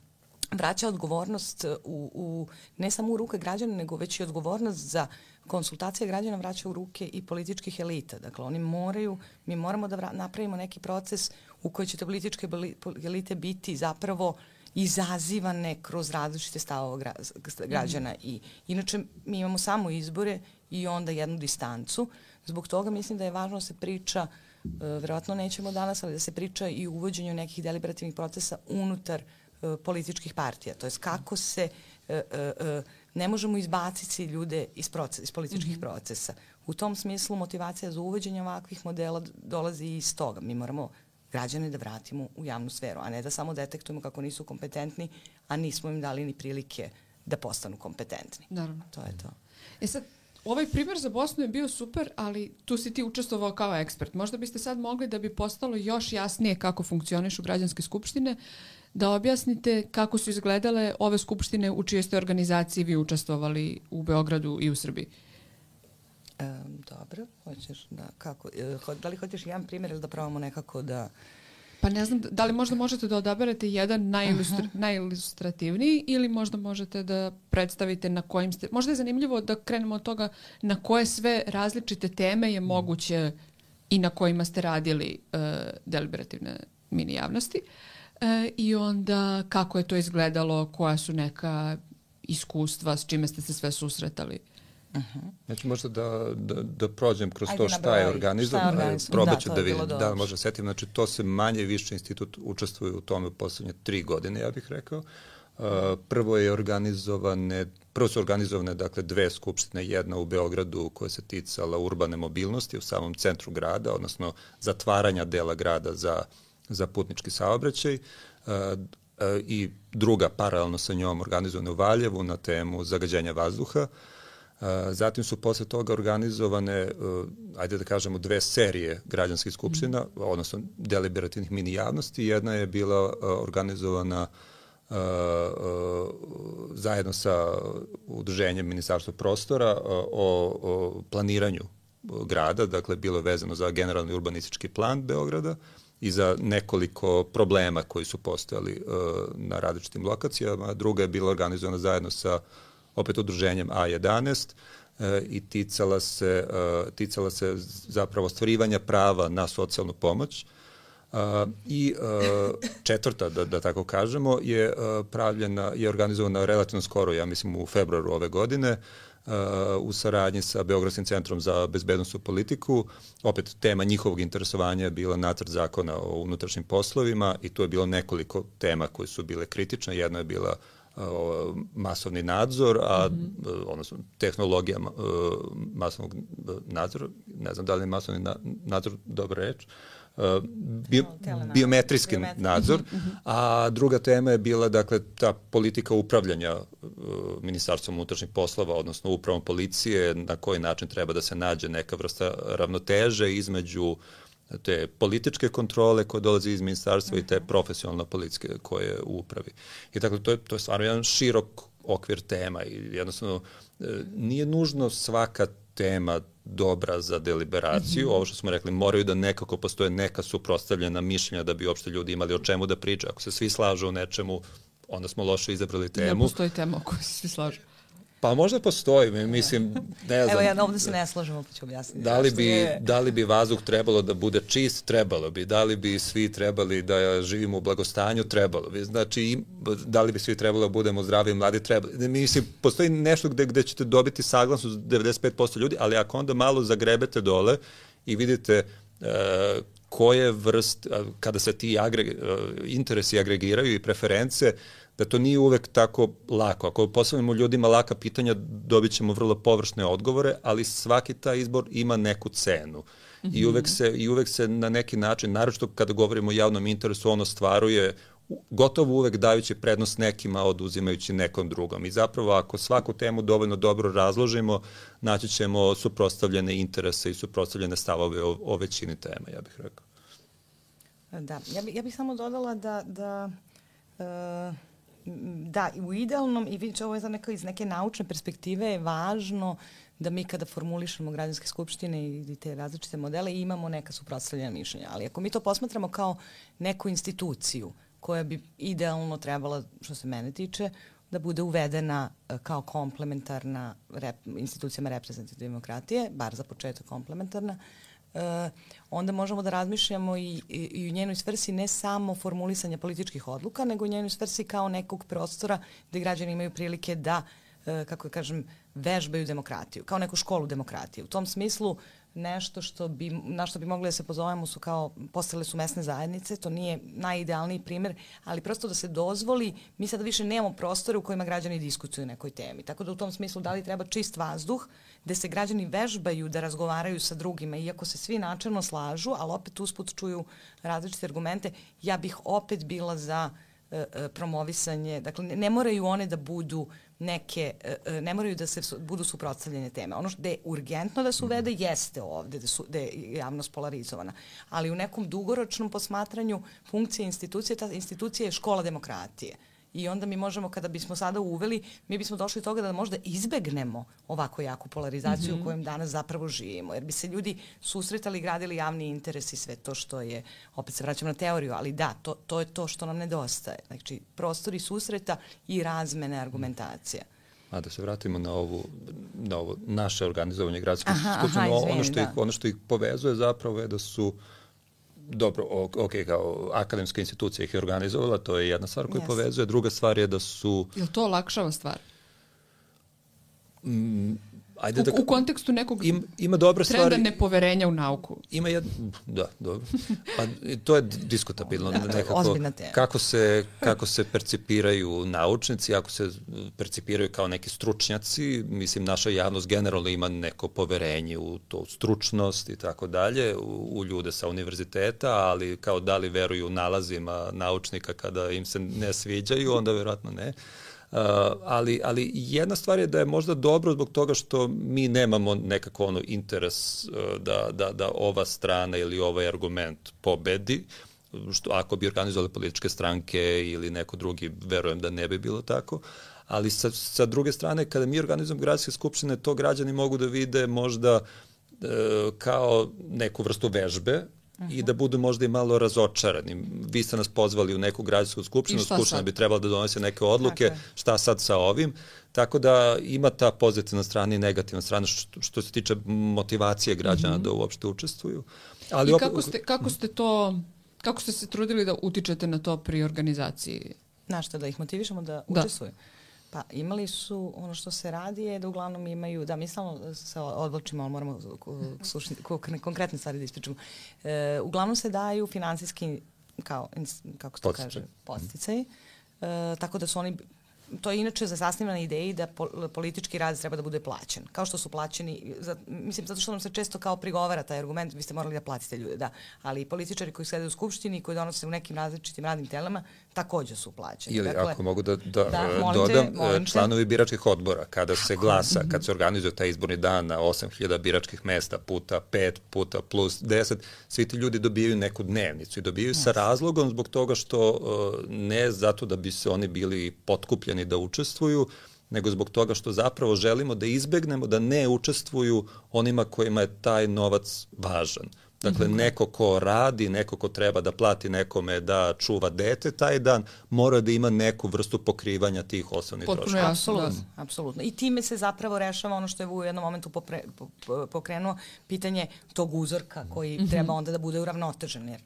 vraća odgovornost u, u, ne samo u ruke građana, nego već i odgovornost za konsultacije građana vraća u ruke i političkih elita. Dakle, oni moraju, mi moramo da vra, napravimo neki proces u kojoj će te političke elite biti zapravo izazivane kroz različite stavove gra, građana. I, inače, mi imamo samo izbore i onda jednu distancu. Zbog toga mislim da je važno da se priča, uh, verovatno nećemo danas, ali da se priča i o uvođenju nekih deliberativnih procesa unutar uh, političkih partija. To je kako se uh, uh, ne možemo izbaciti ljude iz, proces, iz političkih mm-hmm. procesa. U tom smislu motivacija za uvođenje ovakvih modela dolazi iz toga. Mi moramo građane da vratimo u javnu sferu, a ne da samo detektujemo kako nisu kompetentni, a nismo im dali ni prilike da postanu kompetentni. Naravno. To je to. E sad, ovaj primjer za Bosnu je bio super, ali tu si ti učestvovao kao ekspert. Možda biste sad mogli, da bi postalo još jasnije kako funkcionišu građanske skupštine, da objasnite kako su izgledale ove skupštine u čijoj ste organizaciji vi učestvovali u Beogradu i u Srbiji. Um, dobro, hoćeš da, kako, da li hoćeš jedan primjer ili da probamo nekako da... Pa ne znam, da li možda možete da odaberete jedan najilustri, uh-huh. najilustrativniji ili možda možete da predstavite na kojim ste... Možda je zanimljivo da krenemo od toga na koje sve različite teme je moguće i na kojima ste radili uh, deliberativne mini javnosti. Uh, I onda kako je to izgledalo, koja su neka iskustva, s čime ste se sve susretali. Uh-huh. Znači možda da, da, da prođem kroz Ajde to šta je organizovano, probat ću da, da vidim, da možda setim, znači to se manje više institut učestvuje u tome u poslednje tri godine, ja bih rekao. Uh, prvo je organizovane, prvo su organizovane dakle dve skupštine, jedna u Beogradu koja se ticala urbane mobilnosti u samom centru grada, odnosno zatvaranja dela grada za, za putnički saobraćaj, uh, uh, i druga paralelno sa njom organizovana u Valjevu na temu zagađenja vazduha. Uh, zatim su posle toga organizovane, uh, ajde da kažemo, dve serije građanskih skupština, mm. odnosno deliberativnih mini javnosti. Jedna je bila uh, organizovana uh, uh, zajedno sa udruženjem Ministarstva prostora uh, o, o planiranju grada, dakle bilo je vezano za generalni urbanistički plan Beograda i za nekoliko problema koji su postojali uh, na različitim lokacijama. Druga je bila organizovana zajedno sa opet udruženjem A jedanaest e, i ticala se, e, ticala se zapravo ostvarivanja prava na socijalnu pomoć. E, I e, četvrta, da, da tako kažemo, je e, pravljena, je organizovana relativno skoro, ja mislim u februaru ove godine, e, u saradnji sa Beogradskim centrom za bezbednosnu politiku. Opet tema njihovog interesovanja je bila nacrt zakona o unutrašnjim poslovima i tu je bilo nekoliko tema koje su bile kritične. Jedna je bila masovni nadzor, a mm-hmm. odnosno tehnologija masovnog nadzora, ne znam da li je masovni nadzor dobra reč, bio, biometrijski nadzor, mm-hmm. a druga tema je bila dakle ta politika upravljanja Ministarstvom unutrašnjih poslova, odnosno upravom policije, na koji način treba da se nađe neka vrsta ravnoteže između te političke kontrole koje dolaze iz ministarstva uh-huh. i te profesionalne politike koje u upravi. I dakle, to je, to je stvarno jedan širok okvir tema i jednostavno nije nužno svaka tema dobra za deliberaciju. Uh-huh. Ovo što smo rekli, moraju da nekako postoje neka suprotstavljena mišljenja da bi uopšte ljudi imali o čemu da pričaju. Ako se svi slažu o nečemu, onda smo loše izabrali temu. Ne postoji tema o kojoj se svi slažu. Pa možda postoji, mislim, ne znam. Evo, ja ovdje se ne slažemo, pa ću objasniti. Da li, bi, da li bi vazduh trebalo da bude čist? Trebalo bi. Da li bi svi trebali da živimo u blagostanju? Trebalo bi. Znači, da li bi svi trebalo da budemo zdravi i mladi? Trebalo. Mislim, postoji nešto gde, gde ćete dobiti saglasnost devedeset pet posto ljudi, ali ako onda malo zagrebete dole i vidite uh, koje vrst, kada se ti agre, uh, interesi agregiraju i preference, da to nije uvek tako lako. Ako postavimo ljudima laka pitanja, dobit ćemo vrlo površne odgovore, ali svaki taj izbor ima neku cenu. Mm-hmm. I, uvek se, I uvek se na neki način, naročito kada govorimo o javnom interesu, ono stvaruje gotovo uvek dajući prednost nekima, oduzimajući nekom drugom. I zapravo, ako svaku temu dovoljno dobro razložimo, naći ćemo suprotstavljene interese i suprotstavljene stavove o, o većini tema, ja bih rekao. Da, ja, bi, ja bih samo dodala da... da uh... Da, u idealnom, i vidite, ovo je za neko iz neke naučne perspektive, je važno da mi kada formulišemo građanske skupštine i te različite modele imamo neka suprotstavljena mišljenja. Ali ako mi to posmatramo kao neku instituciju koja bi idealno trebala, što se mene tiče, da bude uvedena kao komplementarna rep, institucijama reprezentativne demokratije, bar za početak komplementarna, Uh, onda možemo da razmišljamo i, i, i u njenoj svrsi ne samo formulisanja političkih odluka, nego u njenoj svrsi kao nekog prostora gde građani imaju prilike da, uh, kako kažem, vežbaju demokratiju, kao neku školu demokratije. U tom smislu nešto što bi, na što bi mogli da se pozovemo su kao, postale su mesne zajednice, to nije najidealniji primer, ali prosto da se dozvoli, mi sada više nemamo prostore u kojima građani diskutuju o nekoj temi. Tako da u tom smislu da li treba čist vazduh, gde se građani vežbaju da razgovaraju sa drugima, iako se svi načelno slažu, ali opet usput čuju različite argumente, ja bih opet bila za e, e, promovisanje, dakle ne, ne moraju one da budu neke, e, ne moraju da se su, budu suprotstavljene teme. Ono što je urgentno da se uvede jeste ovde, da, su, da je javnost polarizovana, ali u nekom dugoročnom posmatranju funkcije institucije, ta institucija je škola demokratije. I onda mi možemo, kada bismo sada uveli, mi bismo došli do toga da možda izbegnemo ovako jaku polarizaciju mm-hmm. u kojem danas zapravo živimo. Jer bi se ljudi susretali, gradili javni interes i sve to što je, opet se vraćam na teoriju, ali da, to, to je to što nam nedostaje. Znači, prostori susreta i razmene argumentacija. A da se vratimo na ovu, na ovo naše organizovanje gradskih skupština, ono, što ih, ono što ih povezuje zapravo je da su dobro, ok, kao akademska institucija ih je organizovala, to je jedna stvar koju yes. povezuje. Druga stvar je da su... Je li to olakšava stvar? Mm, ajde u, da, u kontekstu nekog im, ima dobre trenda stvari, nepoverenja u nauku. Ima jedno, da, dobro. Pa to je diskutabilno. Da, to je ozbiljna tema. Kako se, kako se percipiraju naučnici, ako se percipiraju kao neki stručnjaci, mislim, naša javnost generalno ima neko poverenje u to stručnost i tako dalje, u, u ljude sa univerziteta, ali kao da li veruju nalazima naučnika kada im se ne sviđaju, onda verovatno ne. Uh, ali, ali jedna stvar je da je možda dobro zbog toga što mi nemamo nekako ono interes uh, da, da, da ova strana ili ovaj argument pobedi, što ako bi organizovali političke stranke ili neko drugi, verujem da ne bi bilo tako, ali sa, sa druge strane kada mi organizujemo gradske skupštine, to građani mogu da vide možda uh, kao neku vrstu vežbe, Uh-huh. i da budu možda i malo razočarani. Vi ste nas pozvali u neku građansku skupštinu, skupština bi trebala da donese neke odluke, šta sad sa ovim, tako da ima ta pozitivna strana i negativna strana što, što se tiče motivacije građana uh-huh. da uopšte učestvuju. Ali I kako ste, kako ste to, kako ste se trudili da utičete na to pri organizaciji? Na što, da ih motivišemo da, da. učestvuju? Pa imali su, ono što se radi je da uglavnom imaju, da mi samo se odvlačimo, ali moramo slušni, konkretne stvari da ispričamo. E, uglavnom se daju finansijski, kao, kako se to kaže, podsticaji, e, tako da su oni, to je inače zasniva na ideji da po, politički rad treba da bude plaćen. Kao što su plaćeni, za, mislim, zato što nam se često kao prigovara taj argument, vi ste morali da platite ljude, da. Ali političari koji sede u skupštini i koji donose u nekim različitim radnim telama, takođe su plaćeni. Ili dakle, ako mogu da, da, da dodam, molim te, članovi biračkih odbora, kada se glasa, kad se organizuje taj izborni dan na osam hiljada biračkih mesta puta pet, puta plus deset, svi ti ljudi dobijaju neku dnevnicu i dobijaju yes. sa razlogom zbog toga što ne zato da bi se oni bili potkupljeni da učestvuju, nego zbog toga što zapravo želimo da izbegnemo da ne učestvuju onima kojima je taj novac važan. Dakle, mm-hmm. neko ko radi, neko ko treba da plati nekome da čuva dete taj dan, mora da ima neku vrstu pokrivanja tih osnovnih troškova. Apsolutno, apsolutno. I time se zapravo rešava ono što je u jednom momentu popre, pokrenuo, pitanje tog uzorka koji mm-hmm. treba onda da bude uravnotežen, jer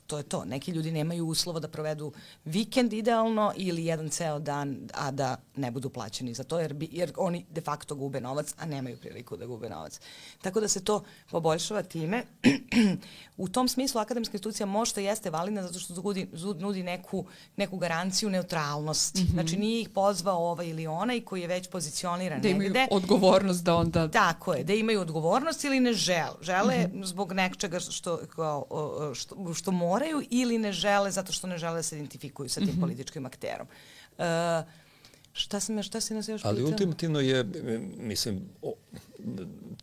to je to. Neki ljudi nemaju uslova da provedu vikend idealno ili jedan ceo dan, a da ne budu plaćeni za to, jer, bi, jer oni de facto gube novac, a nemaju priliku da gube novac. Tako da se to poboljšava time. U tom smislu akademska institucija možda jeste validna zato što nudi, nudi neku, neku garanciju neutralnosti. Mm-hmm. Znači nije ih pozvao ovaj ili onaj koji je već pozicioniran da negde. Da imaju odgovornost da onda... Tako je, da imaju odgovornost ili ne žele. Žele mm-hmm. zbog nečega što, kao, što, što moraju ili ne žele zato što ne žele da se identifikuju sa tim mm-hmm. političkim akterom. Uh, šta se šta se nas još pitao? Ali ultimativno je, mislim,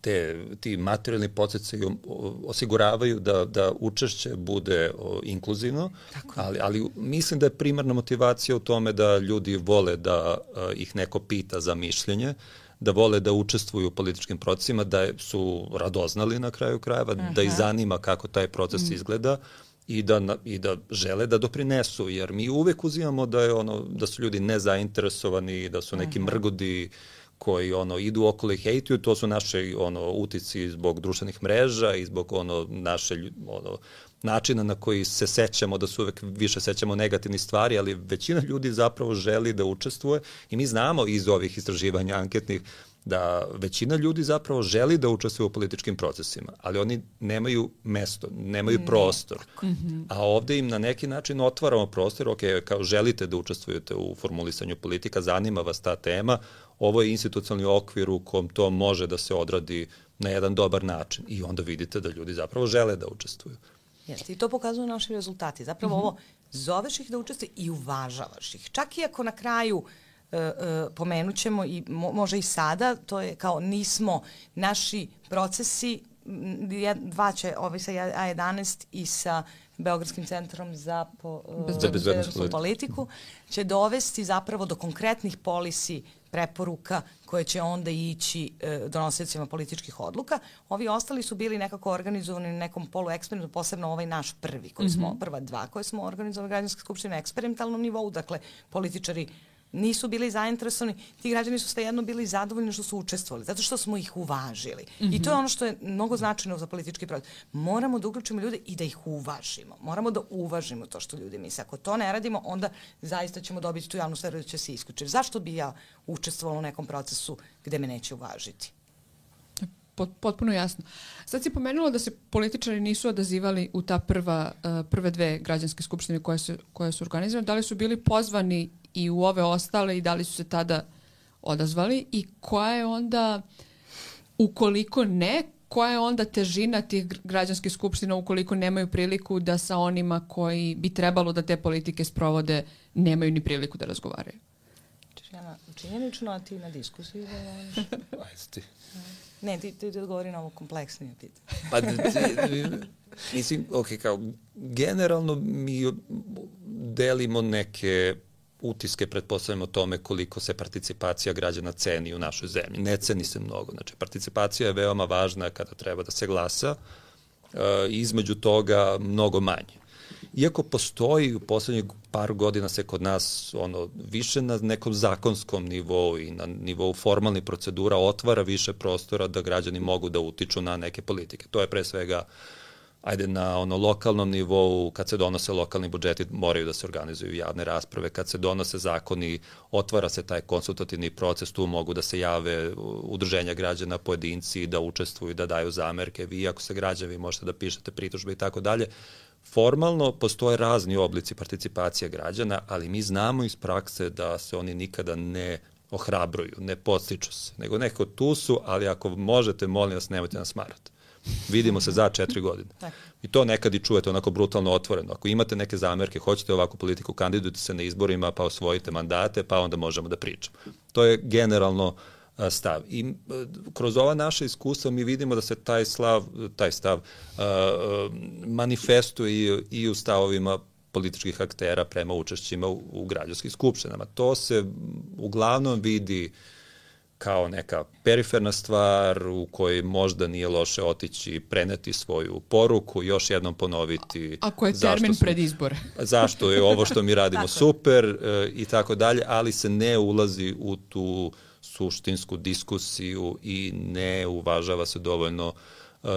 te, ti materijalni podsticaji osiguravaju da, da učešće bude o, inkluzivno, ali, ali mislim da je primarna motivacija u tome da ljudi vole da a, ih neko pita za mišljenje, da vole da učestvuju u političkim procesima, da su radoznali na kraju krajeva, uh-huh. da ih zanima kako taj proces uh-huh. izgleda i da, na, i da žele da doprinesu, jer mi uvek uzimamo da, je ono, da su ljudi nezainteresovani, da su neki mrgodi koji ono idu okolo i hejtuju, to su naše ono utici zbog društvenih mreža i zbog ono naše ono načina na koji se sećamo, da su uvek više sećamo negativnih stvari, ali većina ljudi zapravo želi da učestvuje i mi znamo iz ovih istraživanja anketnih da većina ljudi zapravo želi da učestvuje u političkim procesima, ali oni nemaju mesto, nemaju ne. prostor. Mm-hmm. A ovde im na neki način otvaramo prostor, ok, kao želite da učestvujete u formulisanju politika, zanima vas ta tema, ovo je institucionalni okvir u kom to može da se odradi na jedan dobar način i onda vidite da ljudi zapravo žele da učestvuju. Jeste, i to pokazuju naši rezultati. Zapravo mm-hmm. ovo, zoveš ih da učestvuju i uvažavaš ih. Čak i ako na kraju uh, uh, pomenut ćemo i mo, može i sada, to je kao nismo, naši procesi, dva će, ovaj sa A jedanaest i sa Beogradskim centrom za, po, uh, za bezbednosnu politiku, će dovesti zapravo do konkretnih polisi preporuka koje će onda ići e, donosiocima političkih odluka. Ovi ostali su bili nekako organizovani na nekom polueksperimentu, posebno ovaj naš prvi, koji smo, mm-hmm. prva dva koje smo organizovali građanske skupštine na eksperimentalnom nivou, dakle političari nisu bili zainteresovani, ti građani su svejedno bili zadovoljni što su učestvovali, zato što smo ih uvažili. Mm-hmm. I to je ono što je mnogo značajno za politički proces. Moramo da uključimo ljude i da ih uvažimo. Moramo da uvažimo to što ljudi misle. Ako to ne radimo, onda zaista ćemo dobiti tu javnu sferu da će se isključiti. Zašto bi ja učestvovala u nekom procesu gde me neće uvažiti? Potpuno jasno. Sad si pomenula da se političari nisu odazivali u ta prva, uh, prve dve građanske skupštine koje su, koje su organizovane. Da li su bili pozvani i u ove ostale i da li su se tada odazvali i koja je onda, ukoliko ne, koja je onda težina tih građanskih skupština ukoliko nemaju priliku da sa onima koji bi trebalo da te politike sprovode nemaju ni priliku da razgovaraju? Ja činjenično, a ti na diskusiju? Ajde ti. Ne, ti, ti odgovori na ovo kompleksnije pitanje. Pa, mislim, ok, kao, generalno mi delimo neke utiske, pretpostavljamo o tome koliko se participacija građana ceni u našoj zemlji. Ne ceni se mnogo. Znači, participacija je veoma važna kada treba da se glasa, e, između toga mnogo manje. Iako postoji u poslednjih par godina se kod nas ono više na nekom zakonskom nivou i na nivou formalnih procedura otvara više prostora da građani mogu da utiču na neke politike. To je pre svega ajde na ono lokalnom nivou, kad se donose lokalni budžeti moraju da se organizuju javne rasprave, kad se donose zakoni otvara se taj konsultativni proces, tu mogu da se jave udruženja građana, pojedinci, da učestvuju, da daju zamerke, vi ako se građani možete da pišete pritužbe i tako dalje. Formalno postoje razni oblici participacije građana, ali mi znamo iz prakse da se oni nikada ne ohrabruju, ne podstiču se, nego neko tu su, ali ako možete, molim vas, nemojte nas smarati. Vidimo se za četiri godine. I to nekad i čujete onako brutalno otvoreno. Ako imate neke zamerke, hoćete ovakvu politiku, kandidujte se na izborima, pa osvojite mandate, pa onda možemo da pričamo. To je generalno stav. I kroz ova naša iskustva mi vidimo da se taj, slav, taj stav uh, manifestuje i u stavovima političkih aktera prema učešćima u, u građanskim skupštinama. To se uglavnom vidi kao neka periferna stvar u kojoj možda nije loše otići, preneti svoju poruku, još jednom ponoviti. Ako je termin pred izbore. Zašto je ovo što mi radimo super e, i tako dalje, ali se ne ulazi u tu suštinsku diskusiju i ne uvažava se dovoljno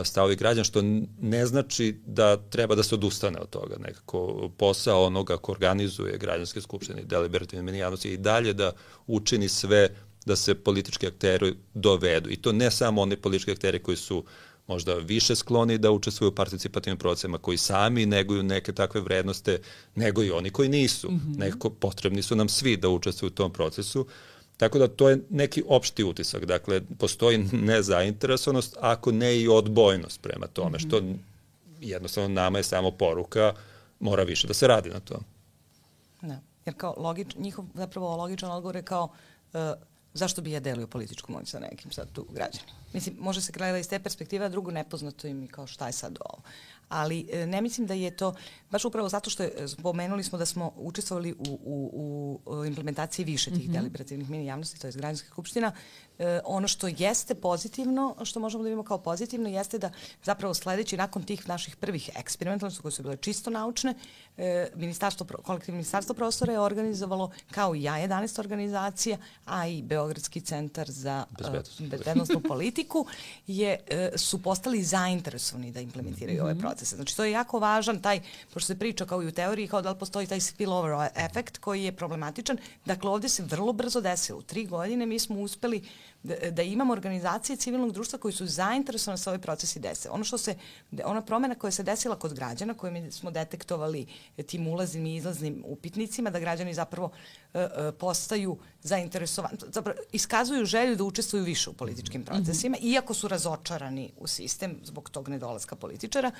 stavovi građana, što ne znači da treba da se odustane od toga. Nekako posao onoga ko organizuje građanske skupštine i deliberativne menijavnosti i dalje da učini sve da se politički akteri dovedu. I to ne samo oni politički akteri koji su možda više skloni da učestvuju u participativnim procesima, koji sami neguju neke takve vrednosti, nego i oni koji nisu. Mm-hmm. Nekako potrebni su nam svi da učestvuju u tom procesu. Tako da to je neki opšti utisak. Dakle, postoji nezainteresovanost, ako ne i odbojnost prema tome, mm-hmm. što jednostavno nama je samo poruka, mora više da se radi na tom. Da, jer kao logič, njihov zapravo logičan odgovor je kao uh, zašto bi ja delio političku moć sa nekim sad tu građanima. Mislim, može se gledati iz te perspektive, a drugo nepoznato im i kao šta je sad ovo. ali ne mislim da je to, baš upravo zato što je, spomenuli smo da smo učestvovali u, u, u implementaciji više tih mm-hmm. deliberativnih mini javnosti, to je građanskih skupština. E, ono što jeste pozitivno, što možemo da vidimo kao pozitivno, jeste da zapravo sledeći nakon tih naših prvih eksperimentalnosti koje su bile čisto naučne, e, ministarstvo, kolektivno ministarstvo prostora je organizovalo, kao i ja, jedanaest organizacija, a i Beogradski centar za uh, bezbednostnu politiku, je, uh, su postali zainteresovani da implementiraju mm-hmm. ove procese. Znači, to je jako važan taj, pošto se priča kao i u teoriji, kao da li postoji taj spillover efekt koji je problematičan. Dakle, ovde se vrlo brzo desilo. U tri godine mi smo uspeli da, da imamo organizacije civilnog društva koji su zainteresovane da se ovaj procesi dese. Ono što se, ona promena koja se desila kod građana, koju mi smo detektovali tim ulaznim i izlaznim upitnicima, da građani zapravo uh, uh, postaju zainteresovani, zapravo iskazuju želju da učestvuju više u političkim procesima, mm-hmm. iako su razočarani u sistem zbog tog nedolaska političara.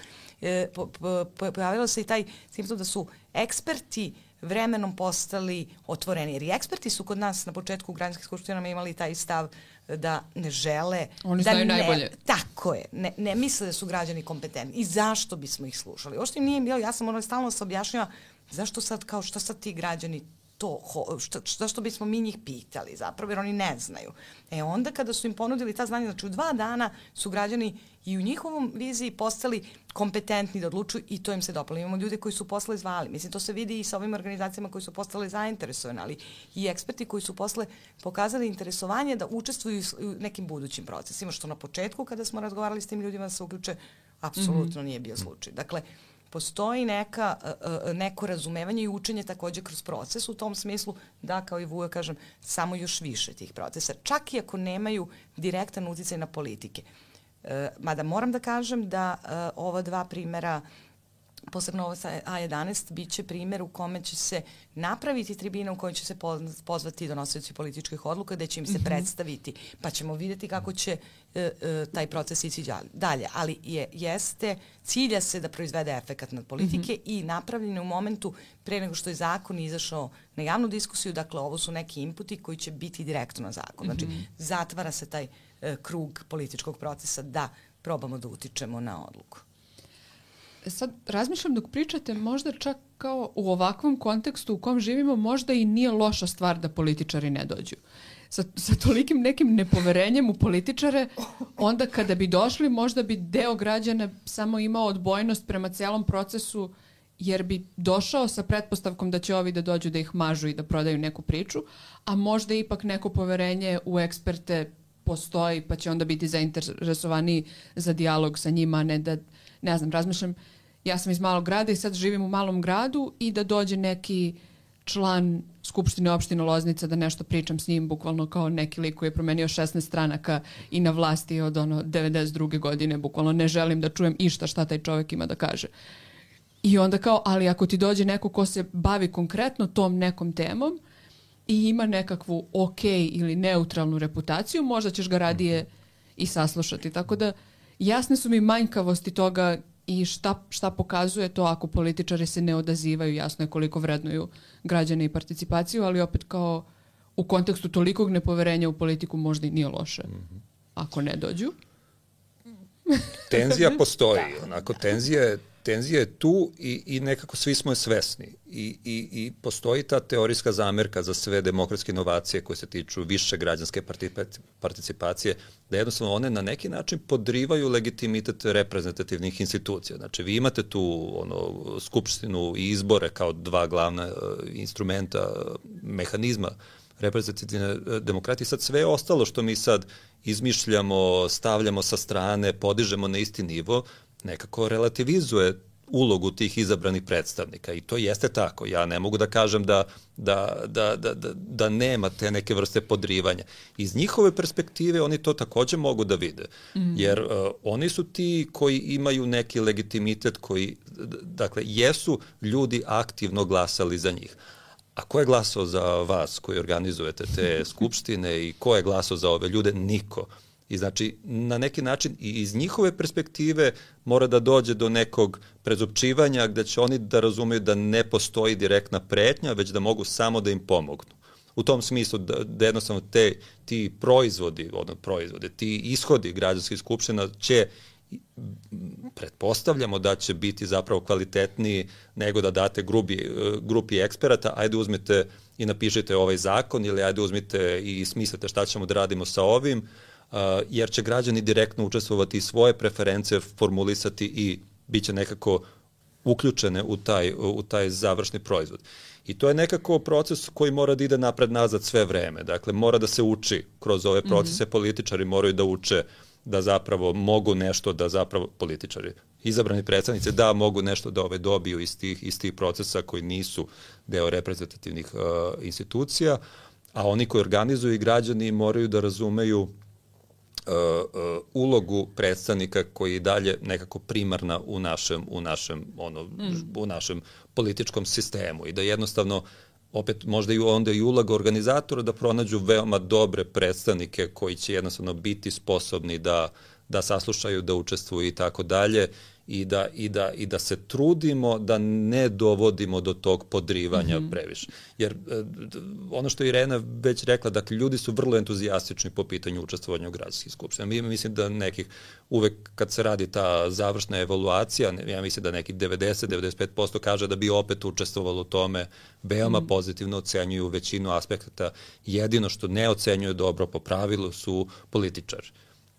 E, po, po, pojavilo se i taj simptom da su eksperti vremenom postali otvoreni. Jer i eksperti su kod nas na početku u građanskim skupštinama imali taj stav da ne žele... Oni da znaju ne, najbolje. Tako je. Ne, ne misle da su građani kompetentni. I zašto bismo ih slušali? Ovo što im nije bilo, ja sam ono stalno se objašnjava zašto sad, kao šta sad ti građani to, što, što, što bismo mi njih pitali zapravo, jer oni ne znaju. E onda kada su im ponudili ta znanja, znači u dva dana su građani i u njihovom viziji postali kompetentni da odlučuju i to im se dopalo. Imamo ljude koji su posle zvali. Mislim, to se vidi i sa ovim organizacijama koji su postale zainteresovani, ali i eksperti koji su posle pokazali interesovanje da učestvuju u nekim budućim procesima, što na početku kada smo razgovarali s tim ljudima da se uključe, apsolutno mm-hmm. nije bio slučaj. Dakle, postoji neka, neko razumevanje i učenje takođe kroz proces u tom smislu da, kao i Vujo kažem, samo još više tih procesa, čak i ako nemaju direktan uticaj na politike. E, mada moram da kažem da e, ova dva primera, posebno ovo sa A jedanaest, bit će primjer u kome će se napraviti tribina u kojoj će se pozvati donosioci političkih odluka, gde će im se mm-hmm. predstaviti, pa ćemo vidjeti kako će e, e, taj proces ići dalje. Ali je, jeste, cilja se da proizvede efekat nad politike mm-hmm. i napravljene u momentu pre nego što je zakon izašao na javnu diskusiju, dakle ovo su neki inputi koji će biti direktno na zakon. Znači, mm-hmm. zatvara se taj e, krug političkog procesa da probamo da utičemo na odluku. Sad razmišljam dok pričate, možda čak kao u ovakvom kontekstu u kom živimo, možda i nije loša stvar da političari ne dođu. Sa, sa tolikim nekim nepoverenjem u političare, onda kada bi došli, možda bi deo građana samo imao odbojnost prema celom procesu, jer bi došao sa pretpostavkom da će ovi da dođu da ih mažu i da prodaju neku priču, a možda ipak neko poverenje u eksperte postoji, pa će onda biti zainteresovani za dijalog sa njima, a ne da, ne znam, razmišljam, ja sam iz malog grada i sad živim u malom gradu i da dođe neki član Skupštine opštine Loznica da nešto pričam s njim, bukvalno kao neki lik koji je promenio šesnaest stranaka i na vlasti od ono devedeset druge godine, bukvalno ne želim da čujem išta šta taj čovjek ima da kaže. I onda kao, ali ako ti dođe neko ko se bavi konkretno tom nekom temom i ima nekakvu ok ili neutralnu reputaciju, možda ćeš ga radije i saslušati. Tako da jasne su mi manjkavosti toga i šta, šta pokazuje to ako političari se ne odazivaju, jasno je koliko vrednuju građane i participaciju, ali opet kao u kontekstu tolikog nepoverenja u politiku možda i nije loše ako ne dođu. Tenzija postoji, onako tenzija je Tenzija je tu i, i nekako svi smo je svesni. I, i, I postoji ta teorijska zamerka za sve demokratske inovacije koje se tiču više građanske participacije, da jednostavno one na neki način podrivaju legitimitet reprezentativnih institucija. Znači, vi imate tu ono, skupštinu i izbore kao dva glavna uh, instrumenta, uh, mehanizma reprezentativne demokratije. Sad sve ostalo što mi sad izmišljamo, stavljamo sa strane, podižemo na isti nivo, nekako relativizuje ulogu tih izabranih predstavnika i to jeste tako. Ja ne mogu da kažem da, da, da, da, da, da nema te neke vrste podrivanja. Iz njihove perspektive oni to takođe mogu da vide, mm. jer uh, oni su ti koji imaju neki legitimitet, koji, dakle, jesu ljudi aktivno glasali za njih. A ko je glasao za vas koji organizujete te skupštine i ko je glasao za ove ljude? Niko. I znači, na neki način i iz njihove perspektive mora da dođe do nekog prezupčivanja gde će oni da razumeju da ne postoji direktna pretnja, već da mogu samo da im pomognu. U tom smislu da, da jednostavno te, ti proizvodi, odnosno proizvode, ti ishodi građanskih skupština će pretpostavljamo da će biti zapravo kvalitetniji nego da date grubi, grupi eksperata, ajde uzmite i napišite ovaj zakon ili ajde uzmite i smislite šta ćemo da radimo sa ovim, jer će građani direktno učestvovati i svoje preference formulisati i bit će nekako uključene u taj, u taj završni proizvod. I to je nekako proces koji mora da ide napred-nazad sve vreme. Dakle, mora da se uči kroz ove procese, mm-hmm. političari moraju da uče da zapravo mogu nešto da zapravo političari, izabrani predstavnici, da mogu nešto da ove dobiju iz tih, iz tih procesa koji nisu deo reprezentativnih uh, institucija, a oni koji organizuju i građani moraju da razumeju uh, uh, ulogu predstavnika koji je dalje nekako primarna u našem, u našem, ono, mm. u našem političkom sistemu i da jednostavno opet možda i onda i uloga organizatora da pronađu veoma dobre predstavnike koji će jednostavno biti sposobni da, da saslušaju, da učestvuju i tako dalje i da, i, da, i da se trudimo da ne dovodimo do tog podrivanja mm-hmm. previše. Jer ono što je Irena već rekla, dakle, ljudi su vrlo entuzijastični po pitanju učestvovanja u građanskih skupština. Mi mislim da nekih, uvek kad se radi ta završna evaluacija, ja mislim da nekih devedeset do devedeset pet posto kaže da bi opet učestvovalo u tome, veoma mm. pozitivno ocenjuju većinu aspekata. Jedino što ne ocenjuju dobro po pravilu su političari,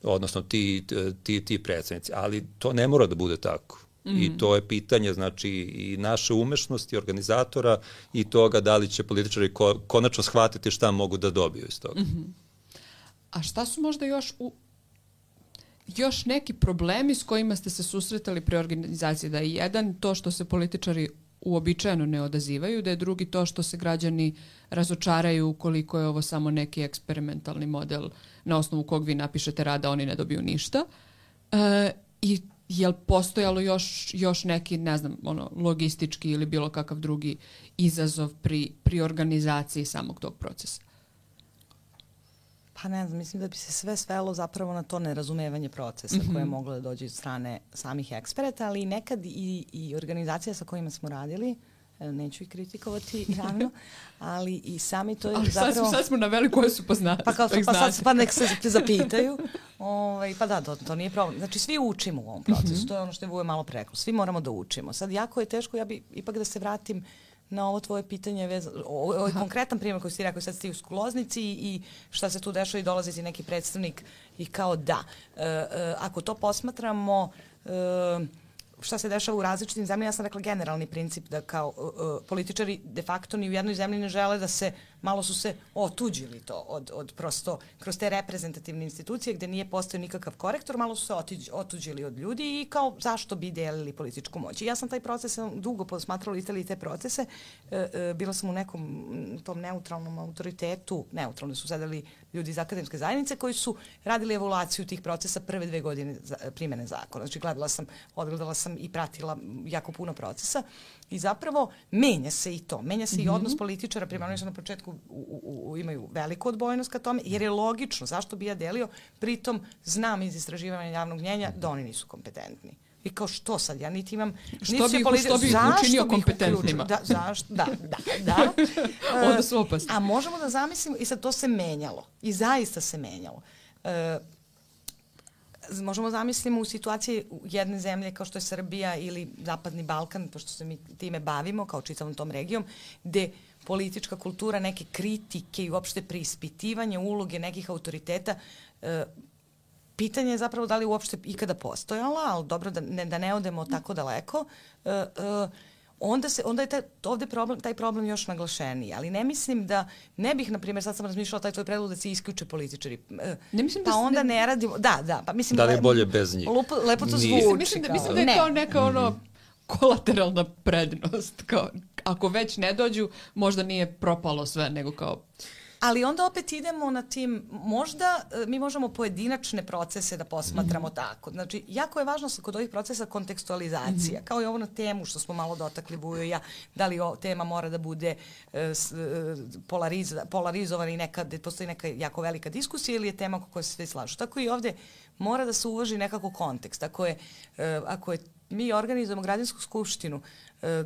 odnosno ti, ti, ti predstavnici, ali to ne mora da bude tako. Mm. I to je pitanje, znači, i naše umešnosti organizatora i toga da li će političari ko, konačno shvatiti šta mogu da dobiju iz toga. Mm-hmm. A šta su možda još u, još neki problemi s kojima ste se susretali pri organizaciji? Da je jedan to što se političari uobičajeno ne odazivaju, da je drugi to što se građani razočaraju ukoliko je ovo samo neki eksperimentalni model na osnovu kog vi napišete rad, a oni ne dobiju ništa. E, I je li postojalo još, još neki, ne znam, ono, logistički ili bilo kakav drugi izazov pri, pri organizaciji samog tog procesa? Pa ne znam, mislim da bi se sve svelo zapravo na to nerazumevanje procesa mm-hmm. koje je moglo da dođe od strane samih eksperata, ali nekad i, i organizacija sa kojima smo radili, neću ih kritikovati javno, ali i sami to je ali zapravo... Ali sad, sad smo naveli koje su poznate. Pa, kao, pa, sad, pa nek se zapitaju. Ovaj, pa da, to, to nije problem. Znači svi učimo u ovom procesu, mm-hmm. to je ono što je Vujo malo preko. Svi moramo da učimo. Sad jako je teško, ja bi ipak da se vratim na ovo tvoje pitanje, vez, o, ovaj konkretan primjer koji si rekao, sad ste u Skloznici i šta se tu dešava i dolazi ti neki predstavnik i kao da. E, e, ako to posmatramo, e, šta se dešava u različitim zemljama, ja sam rekla generalni princip da kao uh, političari de facto ni u jednoj zemlji ne žele da se, malo su se otuđili to od, od prosto, kroz te reprezentativne institucije gde nije postao nikakav korektor, malo su se otuđ, otuđili od ljudi i kao zašto bi delili političku moć. I ja sam taj proces dugo posmatrala Italiji te procese, uh, uh, bila sam u nekom tom neutralnom autoritetu, neutralno su sedeli ljudi iz akademske zajednice koji su radili evaluaciju tih procesa prve dve godine za, primene zakona. Znači gledala sam, odgledala sam i pratila jako puno procesa i zapravo menja se i to. Menja se mm-hmm. i odnos političara, prema oni su na početku u, u, u, imaju veliku odbojnost ka tome, jer je logično, zašto bi ja delio, pritom znam iz istraživanja javnog mnjenja da oni nisu kompetentni. I kao što sad, ja niti imam... Što bi, politi- što bi ih učinio kompetentnima? Da, zašto? Da, da, da. Onda su opasni. A možemo da zamislimo, i sad to se menjalo. I zaista se menjalo. E, možemo zamislimo u situaciji jedne zemlje kao što je Srbija ili Zapadni Balkan, pošto se mi time bavimo, kao čitavom tom regijom, gde politička kultura, neke kritike i uopšte preispitivanje uloge nekih autoriteta, e, pitanje je zapravo da li uopšte ikada postojala, ali dobro da ne, da ne odemo tako daleko, e, e, onda, se, onda je taj, ovde problem, taj problem još naglašeniji. Ali ne mislim da, ne bih, na primjer, sad sam razmišljala taj tvoj predlog da se isključe političari. E, ne mislim pa da onda ne... ne radimo, da, da. Pa mislim da li je bolje bez njih? Lepo, lepo to zvuči. zvuči. Mislim da, mislim da je to neka ono mm-hmm. kolateralna prednost. Kao, ako već ne dođu, možda nije propalo sve, nego kao... Ali onda opet idemo na tim, možda mi možemo pojedinačne procese da posmatramo mm-hmm. tako. Znači, jako je važno kod ovih procesa kontekstualizacija, mm-hmm. kao i ovo na temu što smo malo dotakli Vujo i ja, da li o, tema mora da bude uh, polariz, polarizovana i nekad postoji neka jako velika diskusija ili je tema oko koje se svi slažu. Tako i ovde mora da se uvaži nekako kontekst. Ako je, uh, ako je mi organizujemo građansku skupštinu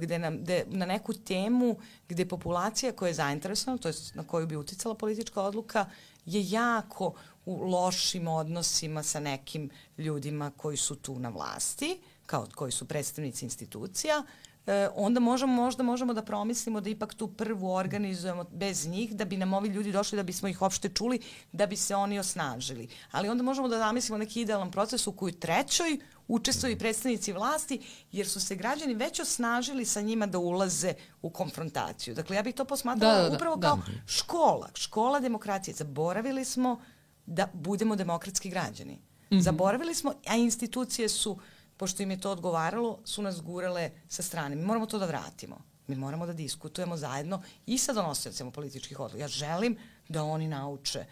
gde, nam, gde na neku temu gde populacija koja je zainteresovana, to je na koju bi uticala politička odluka, je jako u lošim odnosima sa nekim ljudima koji su tu na vlasti, kao koji su predstavnici institucija, e, onda možemo, možda možemo da promislimo da ipak tu prvu organizujemo bez njih, da bi nam ovi ljudi došli, da bismo ih opšte čuli, da bi se oni osnažili. Ali onda možemo da zamislimo neki idealan proces u koju trećoj učestvuju i predstavnici vlasti, jer su se građani već osnažili sa njima da ulaze u konfrontaciju. Dakle, ja bih to posmatrala da, da, da, upravo da. kao škola, škola demokracije. Zaboravili smo da budemo demokratski građani. Mm-hmm. Zaboravili smo, a institucije su, pošto im je to odgovaralo, su nas gurale sa strane. Mi moramo to da vratimo. Mi moramo da diskutujemo zajedno i sa donosiocima političkih odluka. Ja želim da oni nauče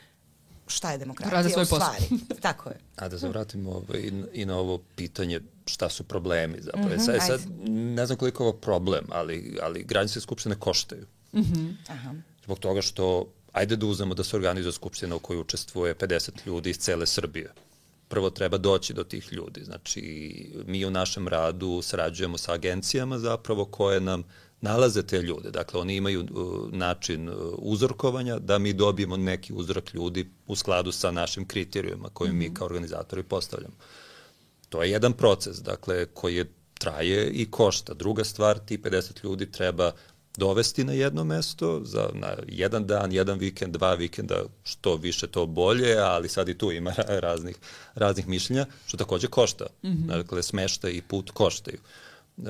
šta je demokratija u stvari. Tako je. A da se vratimo ovaj, i na ovo pitanje šta su problemi zapravo. Mm-hmm, sad, sad, ne znam koliko je ovo problem, ali, ali građanske skupštine koštaju. Mm-hmm. Aha. Zbog toga što, ajde da uzmemo da se organizuje skupština u kojoj učestvuje pedeset ljudi iz cele Srbije. Prvo treba doći do tih ljudi. Znači, mi u našem radu sarađujemo sa agencijama zapravo koje nam nalaze te ljude. Dakle, oni imaju uh, način uh, uzorkovanja da mi dobijemo neki uzorak ljudi u skladu sa našim kriterijuma koje mm-hmm. mi kao organizatori postavljamo. To je jedan proces, dakle, koji je, traje i košta. Druga stvar, ti pedeset ljudi treba dovesti na jedno mesto za na jedan dan, jedan vikend, dva vikenda, što više to bolje, ali sad i tu ima raznih, raznih mišljenja, što takođe košta. Mm-hmm. Dakle, smeštaj i put koštaju. Uh,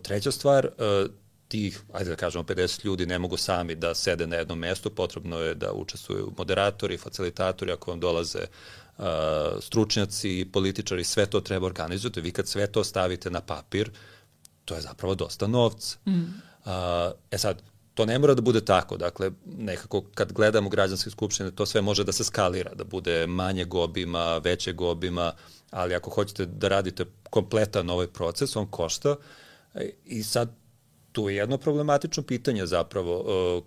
treća stvar, uh, tih, ajde da kažemo, pedeset ljudi ne mogu sami da sede na jednom mestu, potrebno je da učestvuju moderatori, facilitatori, ako vam dolaze uh, stručnjaci, političari, sve to treba organizovati. Vi kad sve to stavite na papir, to je zapravo dosta novca. Mm. Uh, e sad, to ne mora da bude tako, dakle, nekako kad gledamo građanske skupštine, to sve može da se skalira, da bude manjeg obima, većeg obima, ali ako hoćete da radite kompletan ovaj proces, on košta i sad tu je jedno problematično pitanje zapravo, uh,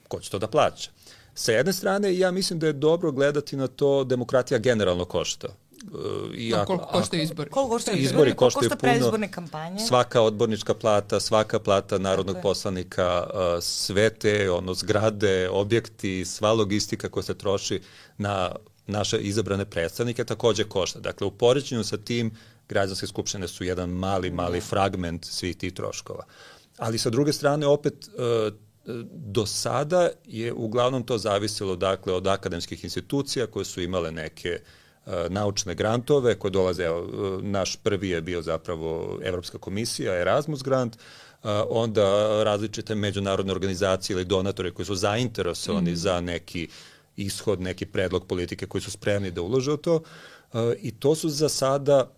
ko će to da plaća. Sa jedne strane, ja mislim da je dobro gledati na to, demokratija generalno košta. Uh, i ako, koliko koštaju izbori? Koliko koštaju izbori? Izbori koštaju košta predizborne kampanje? Svaka odbornička plata, svaka plata narodnog Tako poslanika, uh, sve te ono, zgrade, objekti, sva logistika koja se troši na naše izabrane predstavnike takođe košta. Dakle, u poređenju sa tim, građanske skupštine su jedan mali, mali fragment svih tih troškova. Ali sa druge strane, opet, do sada je uglavnom to zavisilo dakle, od akademskih institucija koje su imale neke naučne grantove koje dolaze, evo, naš prvi je bio zapravo Evropska komisija, Erasmus grant, onda različite međunarodne organizacije ili donatori koji su zainteresovani mm. za neki ishod, neki predlog politike koji su spremni da ulože u to i to su za sada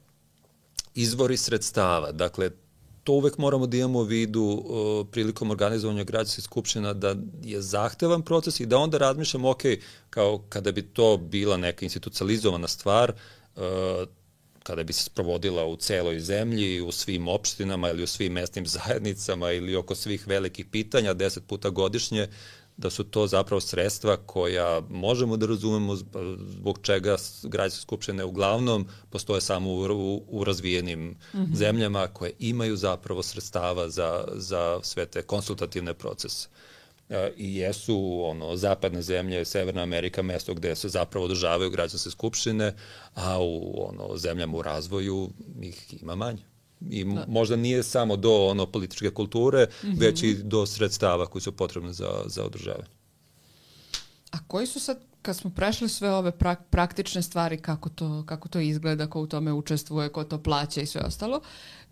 izvori sredstava. Dakle, to uvek moramo da imamo u vidu uh, prilikom organizovanja građanskih skupština da je zahtevan proces i da onda razmišljamo, ok, kao kada bi to bila neka institucionalizovana stvar, uh, kada bi se sprovodila u celoj zemlji, u svim opštinama ili u svim mesnim zajednicama ili oko svih velikih pitanja deset puta godišnje, da su to zapravo sredstva koja možemo da razumemo zbog čega građanske skupštine uglavnom postoje samo u, u, u razvijenim mm-hmm. zemljama koje imaju zapravo sredstava za, za sve te konsultativne procese. E, I jesu ono, zapadne zemlje, Severna Amerika, mesto gde se zapravo održavaju građanske skupštine, a u ono, zemljama u razvoju ih ima manje. I da. Možda nije samo do ono političke kulture, mm-hmm. već i do sredstava koji su potrebne za, za održavanje. A koji su sad, kad smo prešli sve ove prak, praktične stvari, kako to, kako to izgleda, ko u tome učestvuje, ko to plaća i sve ostalo,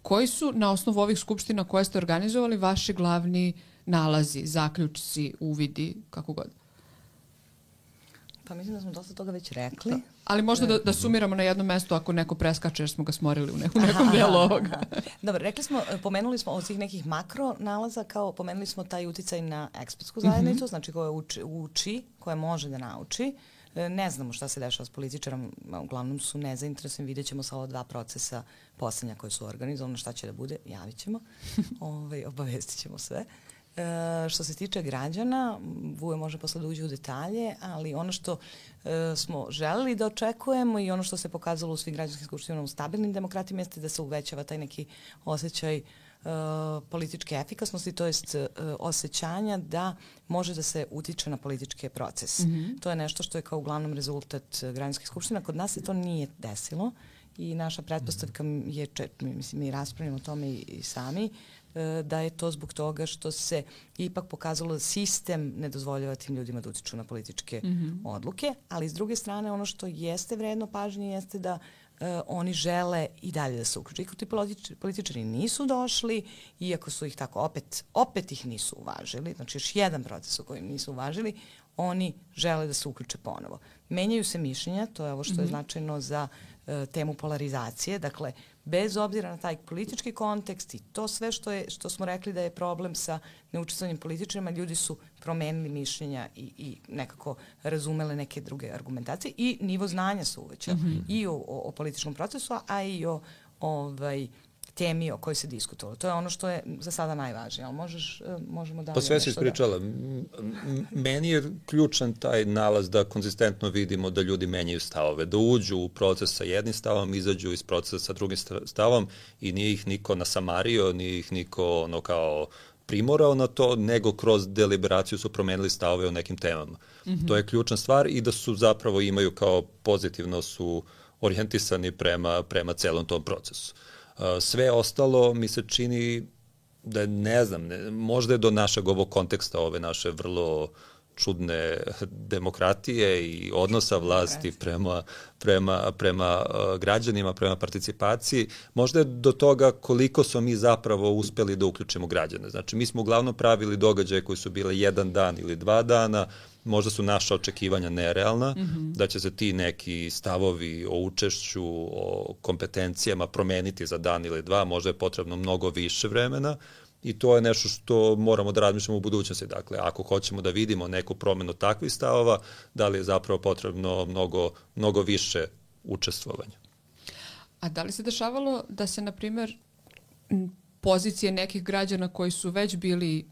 koji su na osnovu ovih skupština koje ste organizovali vaši glavni nalazi, zaključci, uvidi, kako god? Pa mislim da smo dosta toga već rekli. Da. Ali možda da, da sumiramo na jednom mestu ako neko preskače jer smo ga smorili u nekom, nekom delu ovoga. Dobro, rekli smo, pomenuli smo od svih nekih makro nalaza, kao pomenuli smo taj uticaj na ekspertsku zajednicu, mm-hmm. znači koja uči, uči, koja može da nauči. Ne znamo šta se dešava s političarom, uglavnom su nezainteresovani, vidjet ćemo sa ova dva procesa poslednja koje su organizovane, šta će da bude, javit ćemo, Ove, obavestit ćemo sve. E, što se tiče građana, Vujo može posle da uđe u detalje, ali ono što e, smo želeli da očekujemo i ono što se pokazalo u svim građanskim skupštinama u stabilnim demokratijama jeste da se uvećava taj neki osjećaj političke efikasnosti, to jest uh, osjećanja da može da se utiče na političke procese. Mm-hmm. To je nešto što je kao uglavnom rezultat građanskih skupština. Kod nas se to nije desilo i naša pretpostavka je, mislim, mi raspravljamo o tome i, i sami, da je to zbog toga što se ipak pokazalo da sistem ne dozvoljava tim ljudima da utiču na političke mm-hmm. odluke, ali s druge strane ono što jeste vredno pažnje jeste da uh, oni žele i dalje da se uključe. Iako ti politič, političari nisu došli, iako su ih tako opet, opet ih nisu uvažili, znači još jedan proces u kojem nisu uvažili, oni žele da se uključe ponovo. Menjaju se mišljenja, to je ovo što mm-hmm. je značajno za uh, temu polarizacije, dakle, bez obzira na taj politički kontekst i to sve što je što smo rekli da je problem sa neučestvovanjem političarima, ljudi su promenili mišljenja i, i nekako razumele neke druge argumentacije i nivo znanja se uvećao mm-hmm. i o, o, o političkom procesu, a i o ovaj, temi o kojoj se diskutovalo. To je ono što je za sada najvažnije, ali možeš, možemo da... Pa sve si ispričala. Da... Meni je ključan taj nalaz da konzistentno vidimo da ljudi menjaju stavove, da uđu u proces sa jednim stavom, izađu iz procesa sa drugim stavom i nije ih niko nasamario, nije ih niko ono kao primorao na to, nego kroz deliberaciju su promenili stavove o nekim temama. Mm-hmm. To je ključna stvar i da su zapravo imaju kao pozitivno su orijentisani prema, prema celom tom procesu. Sve ostalo mi se čini da ne znam, ne, možda je do našeg ovog konteksta ove naše vrlo čudne demokratije i odnosa vlasti prema, prema, prema uh, građanima, prema participaciji, možda je do toga koliko smo mi zapravo uspeli da uključimo građane. Znači, mi smo uglavnom pravili događaje koji su bile jedan dan ili dva dana, možda su naša očekivanja nerealna, mm-hmm. da će se ti neki stavovi o učešću, o kompetencijama promeniti za dan ili dva, možda je potrebno mnogo više vremena i to je nešto što moramo da razmišljamo u budućnosti. Dakle, ako hoćemo da vidimo neku promenu takvih stavova, da li je zapravo potrebno mnogo, mnogo više učestvovanja. A da li se dešavalo da se, na primjer, pozicije nekih građana koji su već bili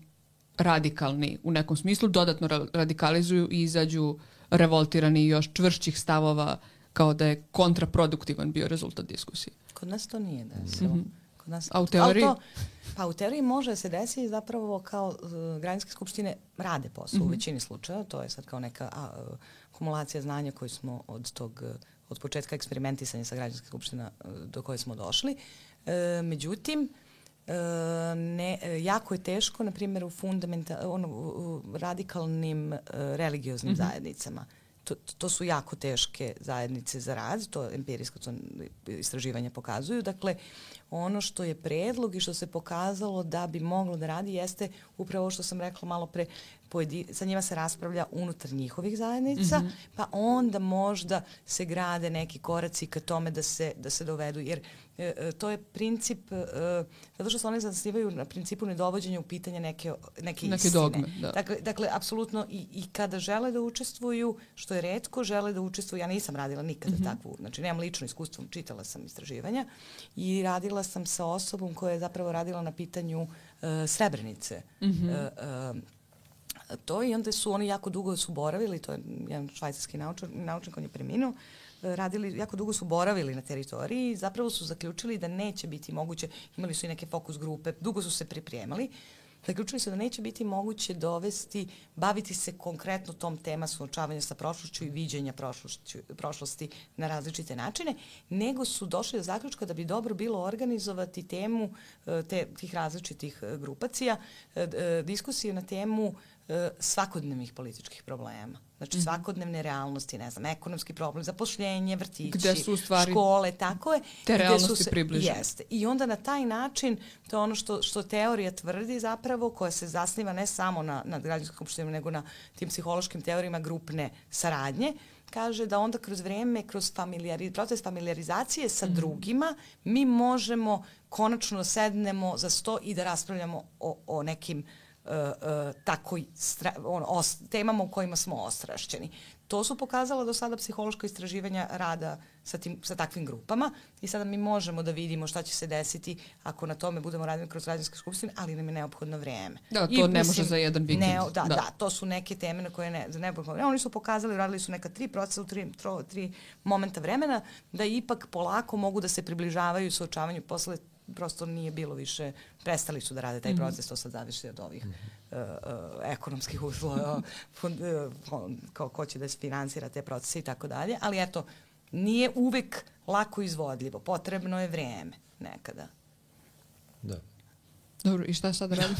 radikalni u nekom smislu, dodatno radikalizuju i izađu revoltirani i još čvršćih stavova kao da je kontraproduktivan bio rezultat diskusije? Kod nas to nije desilo. Mm-hmm. Kod nas, A u teoriji? To, pa u teoriji može se desiti zapravo kao uh, građanske skupštine rade posao mm-hmm. u većini slučaja. To je sad kao neka a, uh, kumulacija znanja koju smo od tog uh, od početka eksperimentisanja sa građanske skupština uh, do koje smo došli. Uh, međutim, Uh, ne, jako je teško, na primjer, u, fundamenta, ono, u radikalnim uh, religioznim mm-hmm. zajednicama. To, to su jako teške zajednice za rad, to empirijsko to istraživanja pokazuju. Dakle, ono što je predlog i što se pokazalo da bi moglo da radi jeste upravo što sam rekla malo pre, pojedi, sa njima se raspravlja unutar njihovih zajednica, mm-hmm. pa onda možda se grade neki koraci ka tome da se, da se dovedu, jer e, to je princip, e, zato što se oni zasnivaju na principu nedovođenja u pitanje neke, neke, neke istine. Dogme, da. Dakle, dakle, apsolutno i, i kada žele da učestvuju, što je retko, žele da učestvuju, ja nisam radila nikada mm-hmm. takvu, znači nemam lično iskustvo, čitala sam istraživanja i radila sam sa osobom koja je zapravo radila na pitanju uh, Srebrenice. Mm-hmm. Uh, uh, to i onda su oni jako dugo su boravili, to je jedan švajcarski naučnik, naučnik on je preminuo, radili, jako dugo su boravili na teritoriji i zapravo su zaključili da neće biti moguće, imali su i neke fokus grupe, dugo su se pripremali, zaključili su da neće biti moguće dovesti, baviti se konkretno tom tema suočavanja sa prošlošću i viđenja prošlosti na različite načine, nego su došli do zaključka da bi dobro bilo organizovati temu te, tih različitih grupacija, diskusiju na temu svakodnevnih političkih problema. Znači, mm-hmm. svakodnevne realnosti, ne znam, ekonomski problem, zapošljenje, vrtići, škole, tako je. Te realnosti se, približene. Jeste. I onda na taj način, to je ono što, što teorija tvrdi zapravo, koja se zasniva ne samo na, na građanskom skupštini, nego na tim psihološkim teorijama grupne saradnje, kaže da onda kroz vreme, kroz familijari, proces familijarizacije sa mm-hmm. drugima, mi možemo konačno sednemo za sto i da raspravljamo o, o nekim Uh, uh, tako stra, on, os, temama u kojima smo ostrašćeni. To su pokazala do sada psihološka istraživanja rada sa, tim, sa takvim grupama i sada mi možemo da vidimo šta će se desiti ako na tome budemo radili kroz građanske skupštine, ali nam je neophodno vreme. Da, to I, ne mislim, može za jedan vikend. Ne, da, da, da, to su neke teme na koje ne, za neophodno. Oni su pokazali, radili su neka tri procesa u tri, tro, tri momenta vremena, da ipak polako mogu da se približavaju suočavanju posle prosto nije bilo više, prestali su da rade taj proces, to sad zavisi od ovih uh, uh, ekonomskih uslova, fond, uh, ko, ko će da se finansira te procese i tako dalje, ali eto, nije uvek lako izvodljivo, potrebno je vrijeme nekada. Da. Dobro, i šta sada radimo?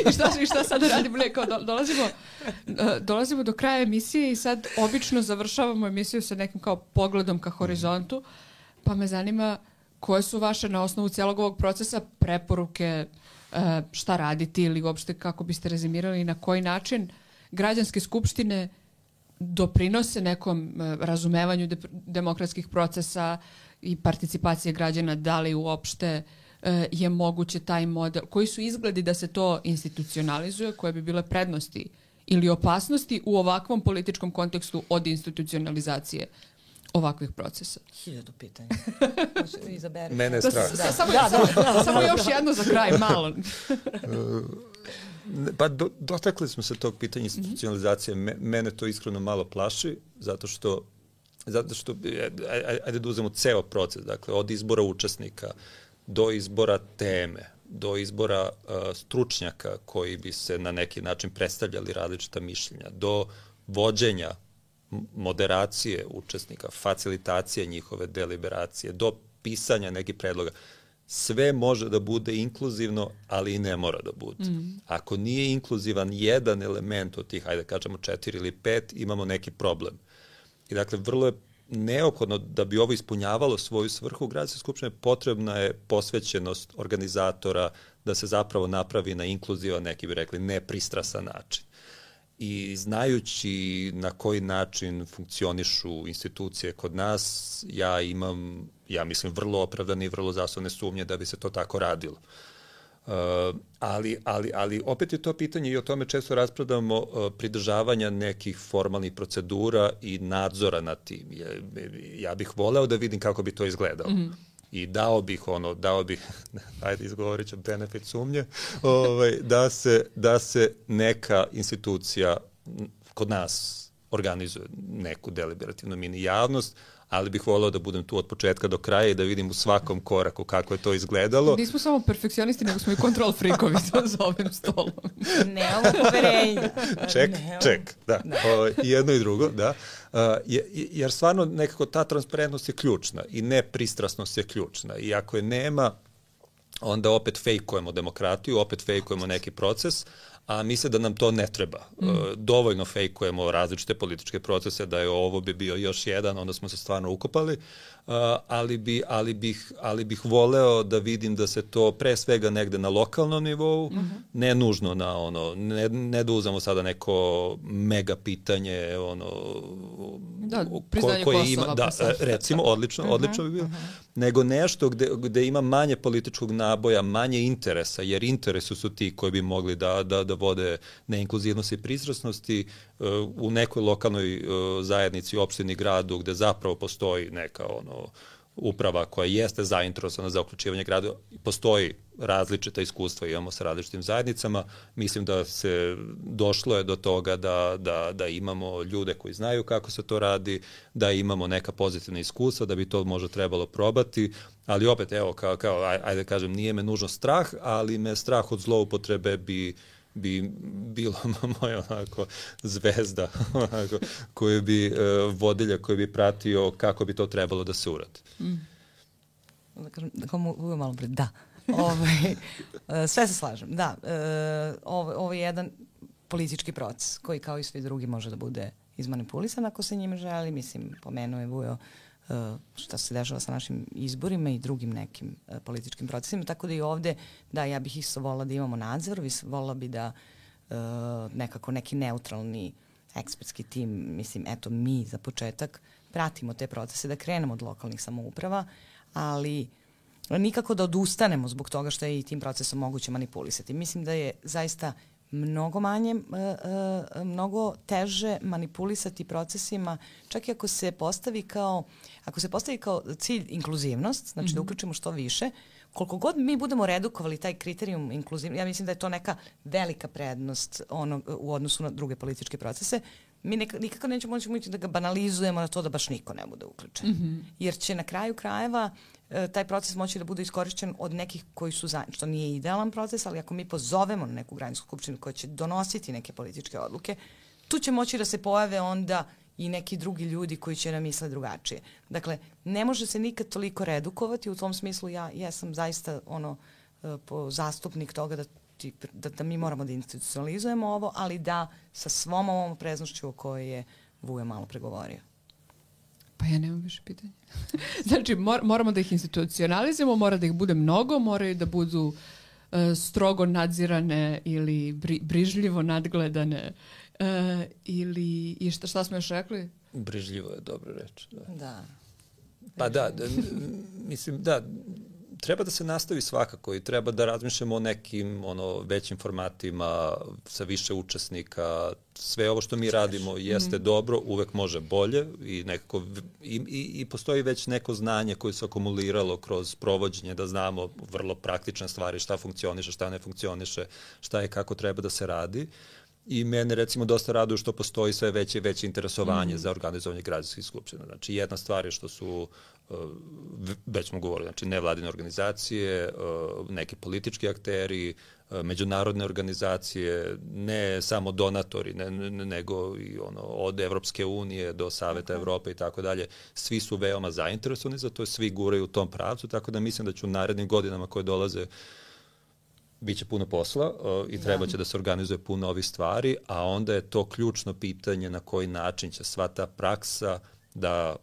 I šta, i šta sada radimo? Ne, kao do, dolazimo, uh, dolazimo do kraja emisije i sad obično završavamo emisiju sa nekim kao pogledom ka horizontu, pa me zanima koje su vaše na osnovu cijelog ovog procesa preporuke, uh, šta raditi ili uopšte kako biste rezimirali i na koji način građanske skupštine doprinose nekom uh, razumevanju de- demokratskih procesa i participacije građana, da li uopšte je moguće taj model, koji su izgledi da se to institucionalizuje, koje bi bile prednosti ili opasnosti u ovakvom političkom kontekstu od institucionalizacije ovakvih procesa? Hiljadu pitanja. Izaberi. Mene je strah. Da, samo, da, samo, da, da, samo još jedno za kraj, malo. Pa do, dotakli smo se tog pitanja institucionalizacije. Me, mene to iskreno malo plaši, zato što zato što, ajde da uzmemo ceo proces, dakle, od izbora učesnika do izbora teme, do izbora uh, stručnjaka koji bi se na neki način predstavljali različita mišljenja, do vođenja, moderacije učesnika, facilitacije njihove deliberacije, do pisanja nekih predloga. Sve može da bude inkluzivno, ali i ne mora da bude. Mm. Ako nije inkluzivan jedan element od tih, ajde kažemo četiri ili pet, imamo neki problem. I dakle, vrlo je neophodno da bi ovo ispunjavalo svoju svrhu gradske skupštine, potrebna je posvećenost organizatora da se zapravo napravi na inkluzivan, neki bi rekli, nepristrasan način. I znajući na koji način funkcionišu institucije kod nas, ja imam, ja mislim, vrlo opravdane i vrlo zasnovne sumnje da bi se to tako radilo. Uh, ali, ali, ali opet je to pitanje i o tome često raspravljamo uh, pridržavanja nekih formalnih procedura i nadzora nad tim. Ja, ja bih voleo da vidim kako bi to izgledalo. Mm-hmm. I dao bih ono, dao bih, ajde izgovorit ću benefit sumnje, ovaj, da, se, da se neka institucija kod nas organizuje neku deliberativnu mini javnost, ali bih voleo da budem tu od početka do kraja i da vidim u svakom koraku kako je to izgledalo. Nismo samo perfekcionisti, nego smo i kontrol frikovi za ovim stolom. Nemamo poverenja. Ček, Nemamo. ček, da. da. O, jedno i drugo, da. Uh, jer stvarno nekako ta transparentnost je ključna i nepristrasnost je ključna. I ako je nema, onda opet fejkujemo demokratiju, opet fejkujemo neki proces, a misle da nam to ne treba. Mm. E, dovoljno fejkujemo različite političke procese, da je ovo bi bio još jedan, onda smo se stvarno ukopali, e, ali, bi, ali, bih, ali bih voleo da vidim da se to pre svega negde na lokalnom nivou, mm-hmm. ne nužno na ono, ne, ne da uzamo sada neko mega pitanje, ono, da, ko, priznanje koje Kosova, ima, da, pa recimo, odlično, uh-huh, odlično bi bilo, uh-huh. nego nešto gde, gde ima manje političkog naboja, manje interesa, jer interesu su ti koji bi mogli da, da, da vode neinkluzivnosti i pristrasnosti uh, u nekoj lokalnoj uh, zajednici, opštini, gradu, gde zapravo postoji neka ono uprava koja jeste zainteresovana za uključivanje grada, postoji različita iskustva, imamo sa različitim zajednicama, mislim da se došlo je do toga da, da, da imamo ljude koji znaju kako se to radi, da imamo neka pozitivna iskustva, da bi to možda trebalo probati, ali opet, evo, kao, kao ajde kažem, nije me nužno strah, ali me strah od zloupotrebe bi bi bilo moja onako zvezda onako, koju bi uh, vodilja koji bi pratio kako bi to trebalo da se uradi. Mm. Da kažem, da kao mogu malo pred, da. Ovaj, sve se slažem, da. Ovo, ovo je jedan politički proces koji kao i svi drugi može da bude izmanipulisan ako se njime želi. Mislim, pomenuo je Vujo šta se dešava sa našim izborima i drugim nekim uh, političkim procesima, tako da i ovde, da, ja bih isto volila da imamo nadzor, volila bi da uh, nekako neki neutralni ekspertski tim, mislim, eto, mi za početak pratimo te procese, da krenemo od lokalnih samouprava, ali nikako da odustanemo zbog toga što je i tim procesom moguće manipulisati. Mislim da je zaista mnogo manje, uh, uh, mnogo teže manipulisati procesima, čak i ako se postavi kao, ako se postavi kao cilj inkluzivnost, znači mm-hmm. da uključimo što više, koliko god mi budemo redukovali taj kriterijum inkluzivnosti, ja mislim da je to neka velika prednost ono, u odnosu na druge političke procese. mi nek, nikako nećemo moći da ga banalizujemo na to da baš niko ne bude uključen. Mm-hmm. Jer će na kraju krajeva e, taj proces moći da bude iskorišćen od nekih koji su za, što nije idealan proces, ali ako mi pozovemo na neku građansku skupštinu koja će donositi neke političke odluke, tu će moći da se pojave onda i neki drugi ljudi koji će nam misle drugačije. Dakle, ne može se nikad toliko redukovati, u tom smislu ja, ja sam zaista ono, po zastupnik toga da, ti, da, da mi moramo da institucionalizujemo ovo, ali da sa svom ovom preznošću o kojoj je Vujo malo pregovorio. Pa ja nemam više pitanja. Znači, mor, moramo da ih institucionalizujemo, mora da ih bude mnogo, moraju da budu uh, strogo nadzirane ili bri, brižljivo nadgledane. Uh, ili, i šta, šta smo još rekli? Brižljivo je dobra reč. Da. Da. Pa da, da, mislim, da, treba da se nastavi svakako i treba da razmišljamo o nekim ono, većim formatima sa više učesnika. Sve ovo što mi radimo jeste mm. dobro, uvek može bolje i, nekako, i, i, i postoji već neko znanje koje se akumuliralo kroz provođenje, da znamo vrlo praktične stvari, šta funkcioniše, šta ne funkcioniše, šta je kako treba da se radi. I mene recimo dosta raduju što postoji sve veće i veće interesovanje mm. za organizovanje građanskih skupština. Znači jedna stvar je što su, uh, već smo govorili, znači nevladine organizacije, uh, neki politički akteri, uh, međunarodne organizacije, ne samo donatori, ne, ne, nego i ono, od Evropske unije do Saveta okay. Evrope i tako dalje. Svi su veoma zainteresovani za to, svi guraju u tom pravcu, tako da mislim da ću u narednim godinama koje dolaze biće puno posla uh, i treba će da. da se organizuje puno ovih stvari, a onda je to ključno pitanje na koji način će sva ta praksa da,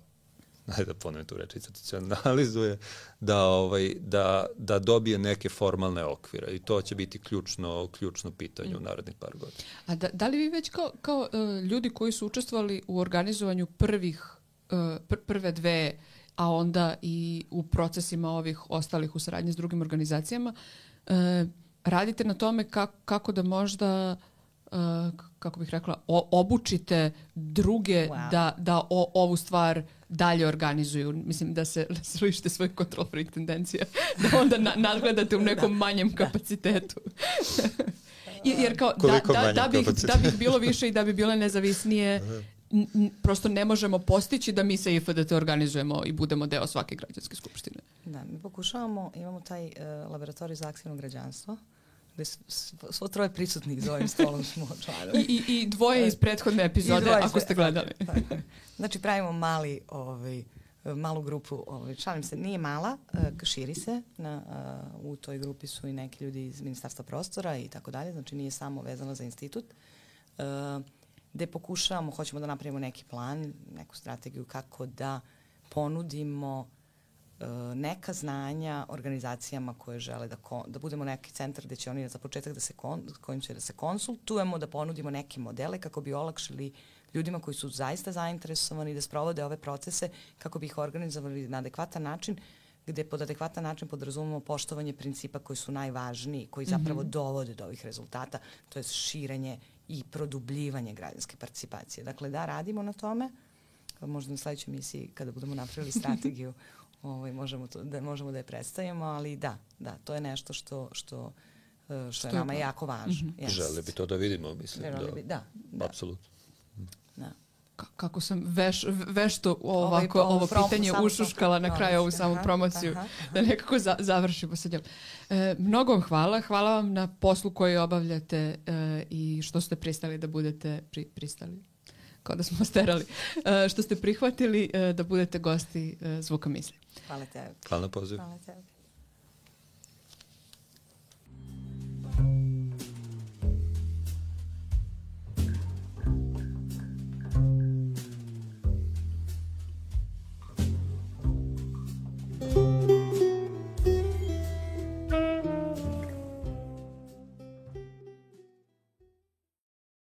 ajde da ponovim tu reč, institucionalizuje, da, ovaj, da, da dobije neke formalne okvire i to će biti ključno, ključno pitanje mm. u narednih par godina. A da, da li vi već kao, kao uh, ljudi koji su učestvovali u organizovanju prvih, uh, pr prve dve, a onda i u procesima ovih ostalih u saradnji s drugim organizacijama, uh, radite na tome kako, kako da možda, uh, kako bih rekla, o, obučite druge wow. da, da o, ovu stvar dalje organizuju. Mislim da se, da se lišite svojih control freak tendencija, da onda na, nadgledate u nekom da. manjem kapacitetu. Jer kao, da, da, da, bih, da bih bilo više i da bi bile nezavisnije, n, prosto ne možemo postići da mi sa I F D T organizujemo i budemo deo svake građanske skupštine. Da, mi pokušavamo, imamo taj uh, laboratorij za aktivno građanstvo, gde svo troje prisutnih za ovim stolom smo članovi. I, i, I dvoje iz prethodne epizode, ako ste gledali. Tako, tako. Znači pravimo mali, ovaj, malu grupu, ovaj, šalim se, nije mala, uh, širi se, na, uh, u toj grupi su i neki ljudi iz Ministarstva prostora i tako dalje, znači nije samo vezano za institut. Uh, gde pokušavamo, hoćemo da napravimo neki plan, neku strategiju kako da ponudimo neka znanja organizacijama koje žele da, kon, da budemo neki centar gde će oni za početak da se kon, kojim će da se konsultujemo, da ponudimo neke modele kako bi olakšali ljudima koji su zaista zainteresovani da sprovode ove procese, kako bi ih organizovali na adekvatan način, gde pod adekvatan način podrazumemo poštovanje principa koji su najvažniji, koji zapravo mm-hmm. dovode do ovih rezultata, to je širenje i produbljivanje građanske participacije. Dakle, da radimo na tome, možda na sledećoj misiji kada budemo napravili strategiju Ovaj, možemo, to, da, možemo da je predstavimo, ali da, da, to je nešto što, što, što, što je nama je jako važno. Mm-hmm. Yes. Žele bi to da vidimo, mislim. Da, bi, da, da. Apsolutno. Da. K kako sam veš, vešto ovako ovaj, ovo prom, pitanje ušuškala na kraju ovu samu promociju, aha, aha. da nekako za, završimo sa njom. E, mnogo vam hvala. Hvala vam na poslu koji obavljate e, i što ste pristali da budete pri, pristali. Kao da smo sterali, uh, što ste prihvatili uh, da budete gosti uh, Zvuka misli. Hvala tebi. Hvala na pozivu. Hvala tebi.